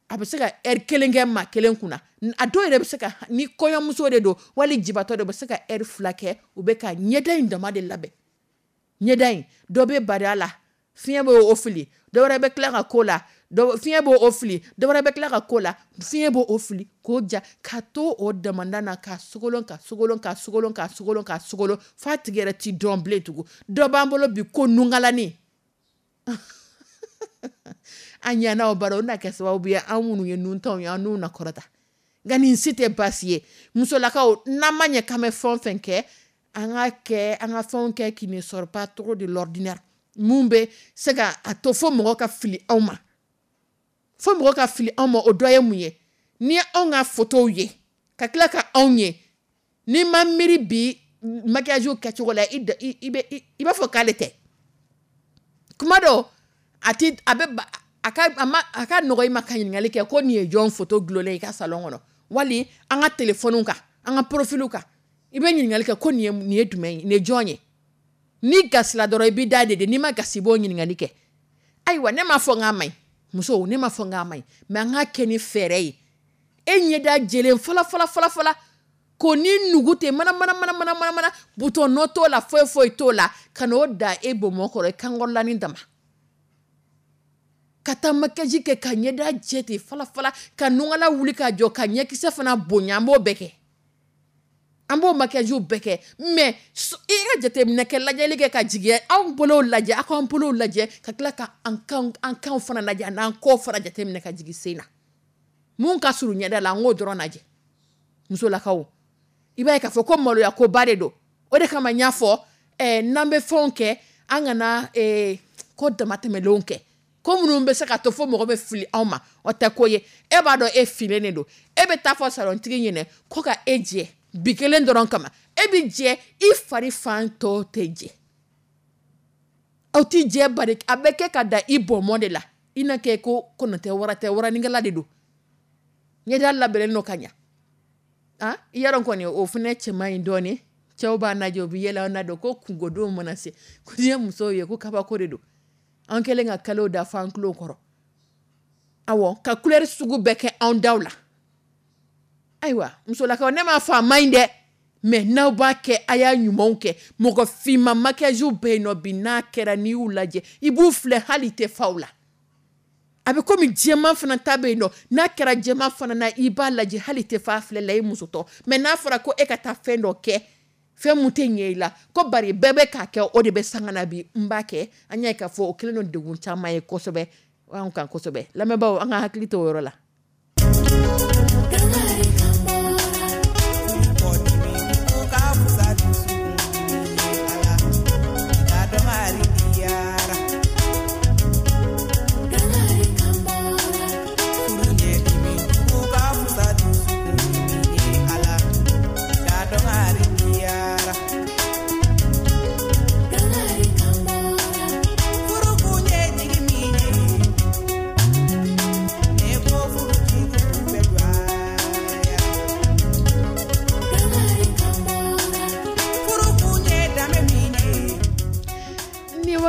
a bɛ se ka heure kelen kɛ maa kelen kunna. A dɔw yɛrɛ bɛ se ka, ni kɔɲɔmuso de don wali jibatɔ de, bɛ se ka heure 2 kɛ, u bɛ ka ɲɛda in dama de labɛn. Ɲɛda in, dɔ bɛ bari a la, fiɲɛ b'o o fili, dɔ wɛrɛ bɛ tila ka ko la, fiɲɛ b'o o fili, dɔ wɛrɛ bɛ tila ka ko la, fiɲɛ b'o o fili k'o ja, ka to o damanda na, ka sogolon, ka sogolon, ka sogolon, ka sogolon, ka sogolon, f'a tigi yɛrɛ ti dɔn bilen tugun. Dɔ b'an bolo bi ko nungalani. An ɲɛna o baro, o na kɛ sababu ye an minnu ye nuntanw ye, an n'u na kɔrɔta. Nka nin si tɛ baasi ye. Musolakaw, n'an ma ɲɛ k'an bɛ fɛn o fɛn kɛ, an ka kɛ an ka fɛnw kɛ qui ne sort pas trop de l'ordinaire, mun bɛ se ka a to fo mɔgɔ ka fili anw ma, fo mɔgɔ ka fili anw ma. O dɔ ye mun ye? Ni ye anw ka photow ye ka tila ka anw ye, n'i ma miiri bi maquillage kɛcogo la, i b'a fɔ k'ale tɛ. Kuma dɔw a ti a bɛ a ka a ma a ka nɔgɔ i ma ka ɲininkali kɛ ko nin ye jɔn photo gulonlen i ka salon kɔnɔ, wali an ka téléphone kan, an ka profil kan, i bɛ ɲininkali kɛ ko nin ye jumɛn ye, nin ye jɔn ye. N'i gasila dɔrɔn, i b'i da de, n'i ma gasi, i b'o ɲininkali kɛ. Ayiwa, ne m'a fɔ n k'a ma ɲi, musow, ne m'a fɔ n k'a ma ɲi, mais an k'a kɛ ni fɛɛrɛ ye. E ɲɛda jɛlen fɔlɔ fɔlɔ fɔlɔ fɔlɔ, k'o ni nugu ten mana mana mana mana mana mana, bouton nɔ t'o la, foyi foyi t'o la, ka n'o da e bomɔ kɔrɔ, i kankɔrɔlanin dama, ka taa maquillage kɛ ka ɲɛda jɛ ten fɔlɔ fɔlɔ, ka nungala wuli ka jɔ, ka ɲɛkisɛ fana bonya. An b'o bɛɛ kɛ, an b'o maquillage bɛɛ kɛ. Mais i ka jateminɛ kɛ, lajɛli kɛ ka jigin, anw bolow lajɛ, aw k'an bolow lajɛ, ka tila ka an kanw fana lajɛ, a n'an kɔw fana jateminɛ ka jigin sen na, mun ka surun ɲɛda la, an k'o dɔrɔn lajɛ. Musolakaw, i b'a ye k'a fɔ ko maloya koba de don. O de kama n y'a fɔ, n'an bɛ fɛnw kɛ, an kana ko damatɛmɛlenw kɛ, ko minnu bɛ se ka to fo mɔgɔ bɛ fili anw ma. O tɛ ko ye. E b'a dɔn e filen de don, e bɛ taa fɔ salontigi ɲɛnɛ ko ka e jɛ bi kelen dɔrɔn kama. E bɛ jɛ, i fari fan tɔ tɛ jɛ, aw ti jɛ, bari a bɛ kɛ ka da i bɔnmɔ de la. I na kɛ ko kɔnɔ tɛ, wara tɛ, waranikɛla de don, ɲɛda labɛnnen don ka ɲa. Ah, i y'a dɔn kɔni, o fana cɛ man ɲi dɔɔnin. Cɛw b'a lajɛ, u bɛ yɛlɛ an na dɔn ko kungodenw mana se ko n'i ye musow ye ko kabako de don. An kɛlen ka kalew da fo an tulo kɔrɔ, awɔ, ka couleur sugu bɛɛ kɛ anw daw la. Ayiwa, musolakaw, ne m'a fɔ a man ɲi dɛ, mais n'aw b'a kɛ, a y'a ɲumanw kɛ. Mɔgɔ finman maquillage bɛ yen nɔ bi, n'a kɛra, n'i y'u lajɛ, i b'u filɛ hali i tɛ fa u la. A bɛ komi jɛman fana ta bɛ yen nɔ, n'a kɛra jɛman fana na, i b'a lajɛ hali i tɛ fa filɛ la, i musotɔ. Mais n'a fɔra ko e ka taa fɛn dɔ kɛ, fɛn mun tɛ ɲɛ i la, ko bari bɛɛ bɛ k'a kɛ, o de bɛ sanga na bi, n b'a kɛ, an y'a ye k'a fɔ o kɛlen don degun caman ye kosɛbɛ anw kan kosɛbɛ. Lamɛnbaaw, an ka hakili to o yɔrɔ la.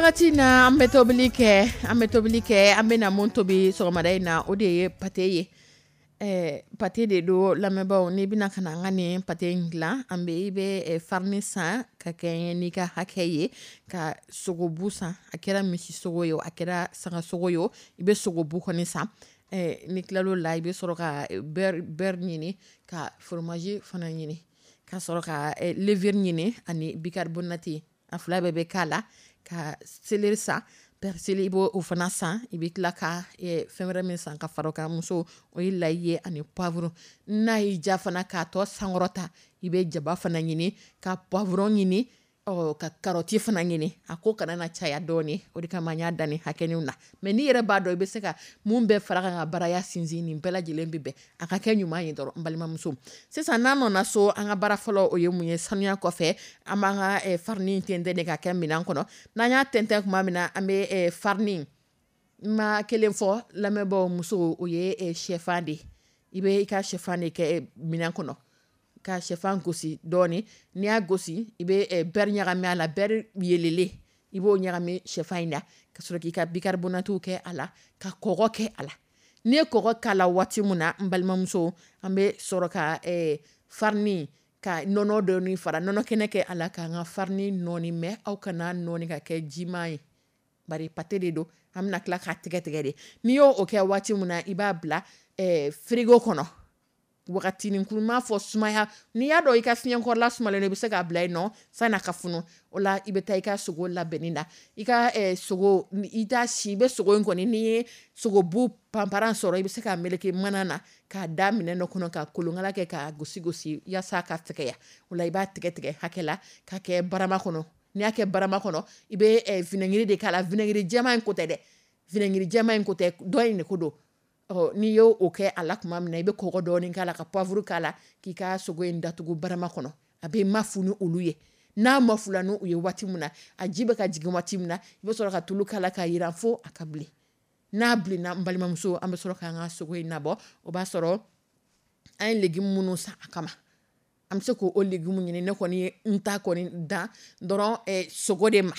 Wagati na an bɛ tobili kɛ, an bɛ tobili kɛ, an bɛ na mun tobi sɔgɔmada in na, o de ye pâté ye. Pâté de don lamɛnbaaw, n'i bɛna ka na an ka nin pâté in dilan, an bɛ i bɛ farine san ka kɛ n'i ka hakɛ ye, ka sogobu san, a kɛra misi sogo ye o, a kɛra saga sogo ye o, i bɛ sogobu kɔni san. Ni tilal'o la, i bɛ sɔrɔ ka beurre ɲini, ka fromage fana ɲini, ka sɔrɔ ka levure ɲini ani bicarbonate, a fila bɛɛ bɛ k'a la, ka céleri san, persil i b'o fana san, i bɛ tila ka fɛn wɛrɛ min san ka fara o kan muso, o ye layi ye ani poivron. N'a y'i ja fana k'a tɔ sankɔrɔta, i bɛ jaba fana ɲini, ka poivron ɲini, ka carotte fana ɲini. A ko kana na caya dɔɔni, o de kama n y'a dan nin hakɛninw na. Mais n'i yɛrɛ b'a dɔn i bɛ se ka mun bɛɛ fara kan ka baraya sinsin, nin bɛɛ lajɛlen bɛ bɛn a ka kɛ ɲuman ye dɔrɔn n balimamuso. Sisan n'an nana so, an ka baara fɔlɔ o ye mun ye? Sanuya kɔfɛ, an b'an ka farine tɛntɛn de ka kɛ minɛn kɔnɔ. N'an y'a tɛntɛn tuma min na, an bɛ farine, n ma kelen fɔ lamɛnbaaw muso, o ye sɛfan de ye. I bɛ i ka sɛfan de kɛ minɛn kɔnɔ, ka sɛfan gosi dɔɔni. N'i y'a gosi, i bɛ beurre ɲagami a la, beurre yelelen i b'o ɲagami sɛfan in na, ka sɔrɔ k'i ka bicarbonate kɛ a la, ka kɔgɔ kɛ a la. N'i ye kɔgɔ k'a la waati min na, n balimamuso, an bɛ sɔrɔ ka farine ka nɔnɔ dɔɔni fara nɔnɔ kɛnɛ kɛ a la, k'an ka farine nɔɔni. Mais aw kana nɔɔni ka kɛ jiman ye, bari pâté de don, an bɛna tila k'a tigɛ tigɛ de. N'i y'o kɛ waati min na, i b'a bila frigo kɔnɔ wagatinin kun, m'a fɔ sumaya. N'i y'a dɔn i ka fiɲɛkɔrɔla sumalen don, i bɛ se k'a bila yen nɔ san'a ka funu. O la i bɛ taa i ka sogo labɛnni na. I ka sogo, i t'a si, i bɛ sogo in kɔni, n'i ye sogobu panparan sɔrɔ, i bɛ se k'a meleke mana na k'a da minɛn dɔ kɔnɔ, ka kolonkala kɛ k'a gosi gosi yaasa ka fɛgɛya. O la i b'a tigɛ tigɛ hakɛ la k'a kɛ barama kɔnɔ. N'i y'a kɛ barama kɔnɔ, i bɛ vinaigre de k'a la. Vinaigre jɛman in ko tɛ dɛ, vinaigre jɛman in ko tɛ, dɔ in de ko don. N'i y'o kɛ a la tuma min na, i bɛ kɔgɔ dɔɔni k'a la, ka poivre k'a la, k'i ka sogo in datugu barama kɔnɔ. A bɛ mafu ni olu ye. N'a mafula n'u ye waati min na, a ji bɛ ka jigin waati min na, i bɛ sɔrɔ ka tulu k'a la k'a yiran fo a ka bilen. N'a bilenna, n balimamuso, an bɛ sɔrɔ k'an ka sogo in nabɔ. O b'a sɔrɔ an ye légume minnu san a kama, an bɛ se k'o légume ɲini. Ne kɔni ye n ta kɔni dan dɔrɔn sogo de ma,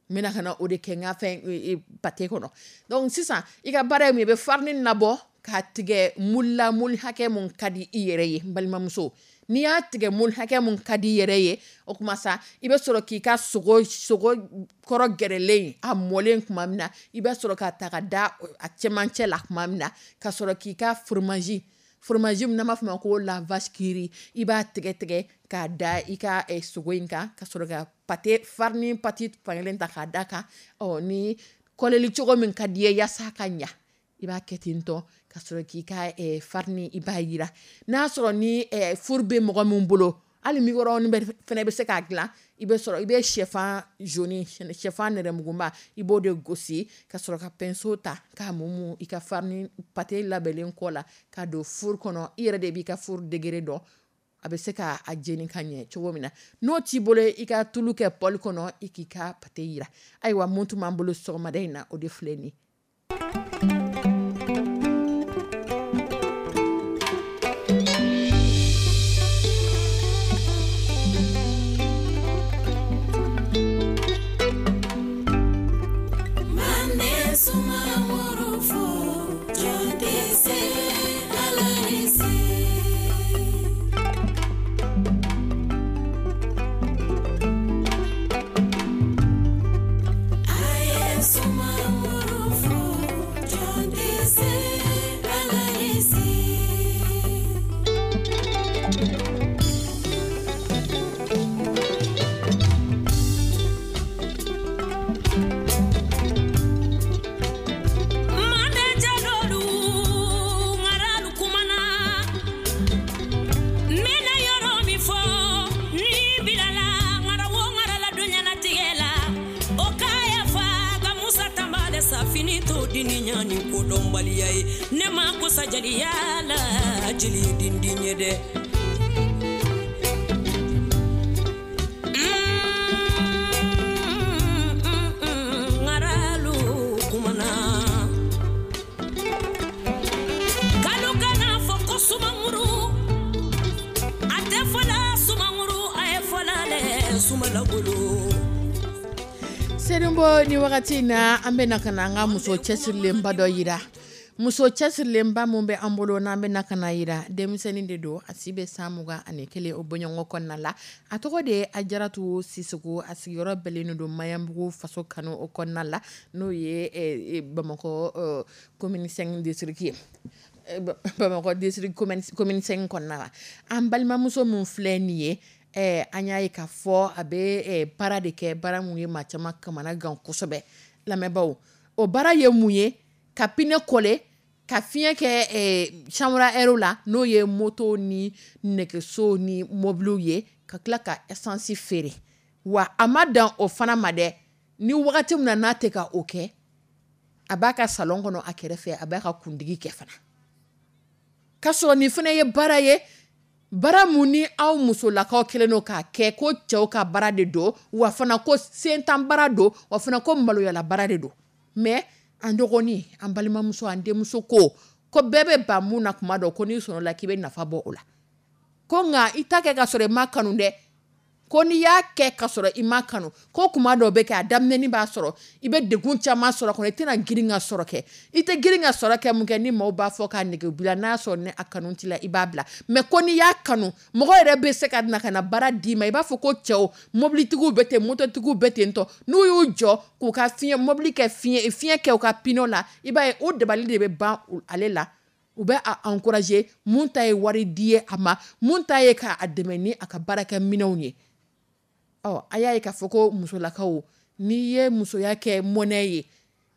n bɛna ka na o de kɛ n ka fɛn pâté kɔnɔ. Donc sisan i ka baara ye mun ye? I bɛ farine nabɔ k'a tigɛ moule la, moule hakɛ mun ka di i yɛrɛ ye. N balimamuso, n'i y'a tigɛ moule hakɛ mun ka di i yɛrɛ ye, o tuma sa i bɛ sɔrɔ k'i ka sogo kɔrɔ gɛrɛlen, a mɔlen tuma min na, i bɛ sɔrɔ k'a ta ka da a cɛmancɛ la tuma min na, ka sɔrɔ k'i ka fromage min n'an b'a fɔ ma ko la vache qui rit, i b'a tigɛ tigɛ k'a da i ka sogo in kan, ka sɔrɔ ka pâté farine pâté fankelen ta k'a da kan. Ni kɔlɛli cogo min ka di ye yaasa ka ɲa, i b'a kɛ ten tɔ, ka sɔrɔ k'i ka farine i b'a yira. N'a sɔrɔ ni four bɛ mɔgɔ min bolo, hali micro-ondes fana bɛ se k'a dilan. I bɛ sɔrɔ i bɛ sɛfan jaune, sɛfan nɛrɛmuguba, i b'o de gosi, ka sɔrɔ ka pinceau ta k'a mumu i ka farine pâté labɛnlen kɔ la, k'a don four kɔnɔ. I yɛrɛ de b'i ka four degré dɔn, a bɛ se k'a jeni ka ɲɛ cogo min na. N'o t'i bolo, i ka tulu kɛ poêle kɔnɔ, i k'i ka pâté yira. Ayiwa, mun tun b'an bolo sɔgɔmada in na, o de filɛ nin ye. Selimbo, ni wagati in na, an bɛ na ka na an ka muso cɛsirilenba dɔ yira. Muso cɛsirilenba mun bɛ an bolo n'an bɛ na ka na yira, denmisɛnnin de don, a si bɛ san 21 o bɔɲɔgɔnko kɔnɔna la. A tɔgɔ de ye Ajaratu Sisoko. A sigiyɔrɔ bɛnnen don Maɲanbugu Faso Kanu o kɔnɔna la, n'o ye Bamakɔ commune 5 district ye, Bamakɔ district commune 5 kɔnɔna la. An balimamuso mun filɛ nin ye, an y'a ye k'a fɔ a bɛ baara de kɛ, baara mun ye maa caman kamana gan kosɛbɛ. Lamɛnbaaw, o baara ye mun ye? Ka pneu coller, ka fiɲɛ kɛ chambre à air la, n'o ye moto ni nɛgɛso ni mobiliw ye, ka tila ka essence feere. Wa a ma dan o fana ma dɛ, ni wagati min na n'a tɛ ka o kɛ, a b'a ka salon kɔnɔ a kɛrɛfɛ, a b'a ka kundigi kɛ fana. K'a sɔrɔ nin fana ye baara ye, baara mun ni aw musolakaw kɛlen don k'a kɛ ko cɛw ka baara de don, wa fana ko sentan baara don, wa fana ko maloyala baara de don. Mais an dɔgɔnin, an balimamuso, an denmuso ko bɛɛ bɛ ban mun na kuma dɔ, ko n'i sɔnna la k'i bɛ nafa bɔ o la, ko nka i ta kɛ ka sɔrɔ i ma kanu dɛ, ko n'i y'a kɛ ka sɔrɔ i ma kanu, ko kuma dɔw bɛ kɛ a daminɛni b'a sɔrɔ i bɛ degun caman sɔrɔ kɔnɔ, i tɛna girin ka sɔrɔ kɛ. I tɛ girin ka sɔrɔ kɛ mun kɛ, ni maaw b'a fɔ k'a nege bila, n'a sɔrɔ ni a kanu t'i la, i b'a bila. Mais ko n'i y'a kanu, mɔgɔ yɛrɛ bɛ se ka na ka na baara d'i ma. I b'a fɔ ko cɛw, mobilitigiw bɛ ten, mototigiw bɛ ten tɔ, n'u y'u jɔ k'u ka fiɲɛ mobili kɛ fiɲɛ kɛ u ka pneu la, i b'a ye o dabali de bɛ ban ale la. U bɛ a encourager, mun ta ye wari di ye a ma, mun ta ye k'a dɛmɛ ni a ka baarakɛ minɛnw ye. Ɔ, a y'a ye k'a fɔ ko musolakaw, n'i ye musoya kɛ mɔnɛ ye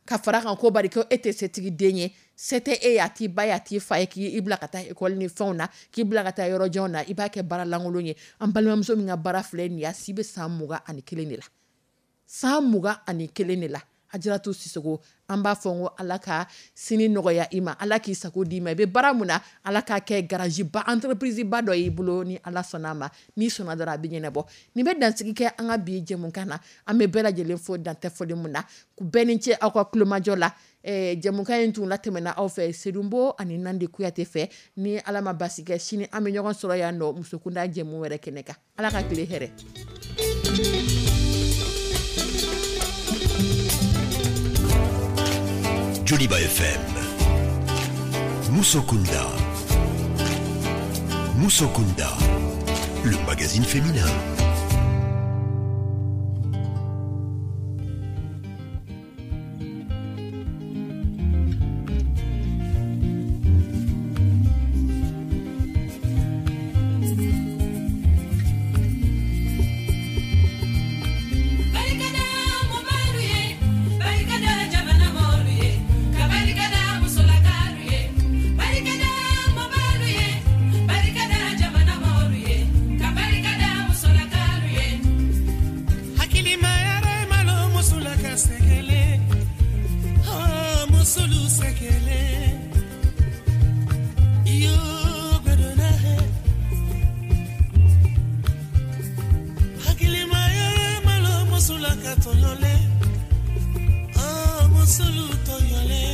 ka fara kan, ko bari ko e tɛ setigi den ye, se tɛ e ye, a t'i ba ye, a t'i fa ye, k'i bila ka taa école ni fɛnw na, k'i bila ka taa yɔrɔ janw na, i b'a kɛ baara lankolon ye. An balimamuso min ka baara filɛ nin ye, a si bɛ san 21 de la, san 21 de la. Ajaratu Sisoko, an b'a fɔ n ko Ala ka sini nɔgɔya i ma, Ala k'i sago d'i ma. I bɛ baara mun na, Ala k'a kɛ garage ba, entreprise ba dɔ y'i bolo, ni Ala sɔnna a ma. N'i sɔnna dɔrɔn, a bɛ ɲɛnabɔ. Nin bɛ dansigi kɛ an ka bi jɛmukan na. An bɛ bɛɛ lajɛlen fo dantɛ foli mun na, k'u bɛɛ ni ce aw ka kulomajɔ la. Jɛmukan in tun latɛmɛna aw fɛ Sedunbo ani Nandi Kuyate fɛ. Ni Ala ma basi kɛ, sini an bɛ ɲɔgɔn sɔrɔ yan nɔ musokunda jɛmu wɛrɛ kɛnɛ kan. Ala ka tile hɛrɛ. Joliba FM, Musokunda. Musokunda, le magazine féminin. Musulu toyole.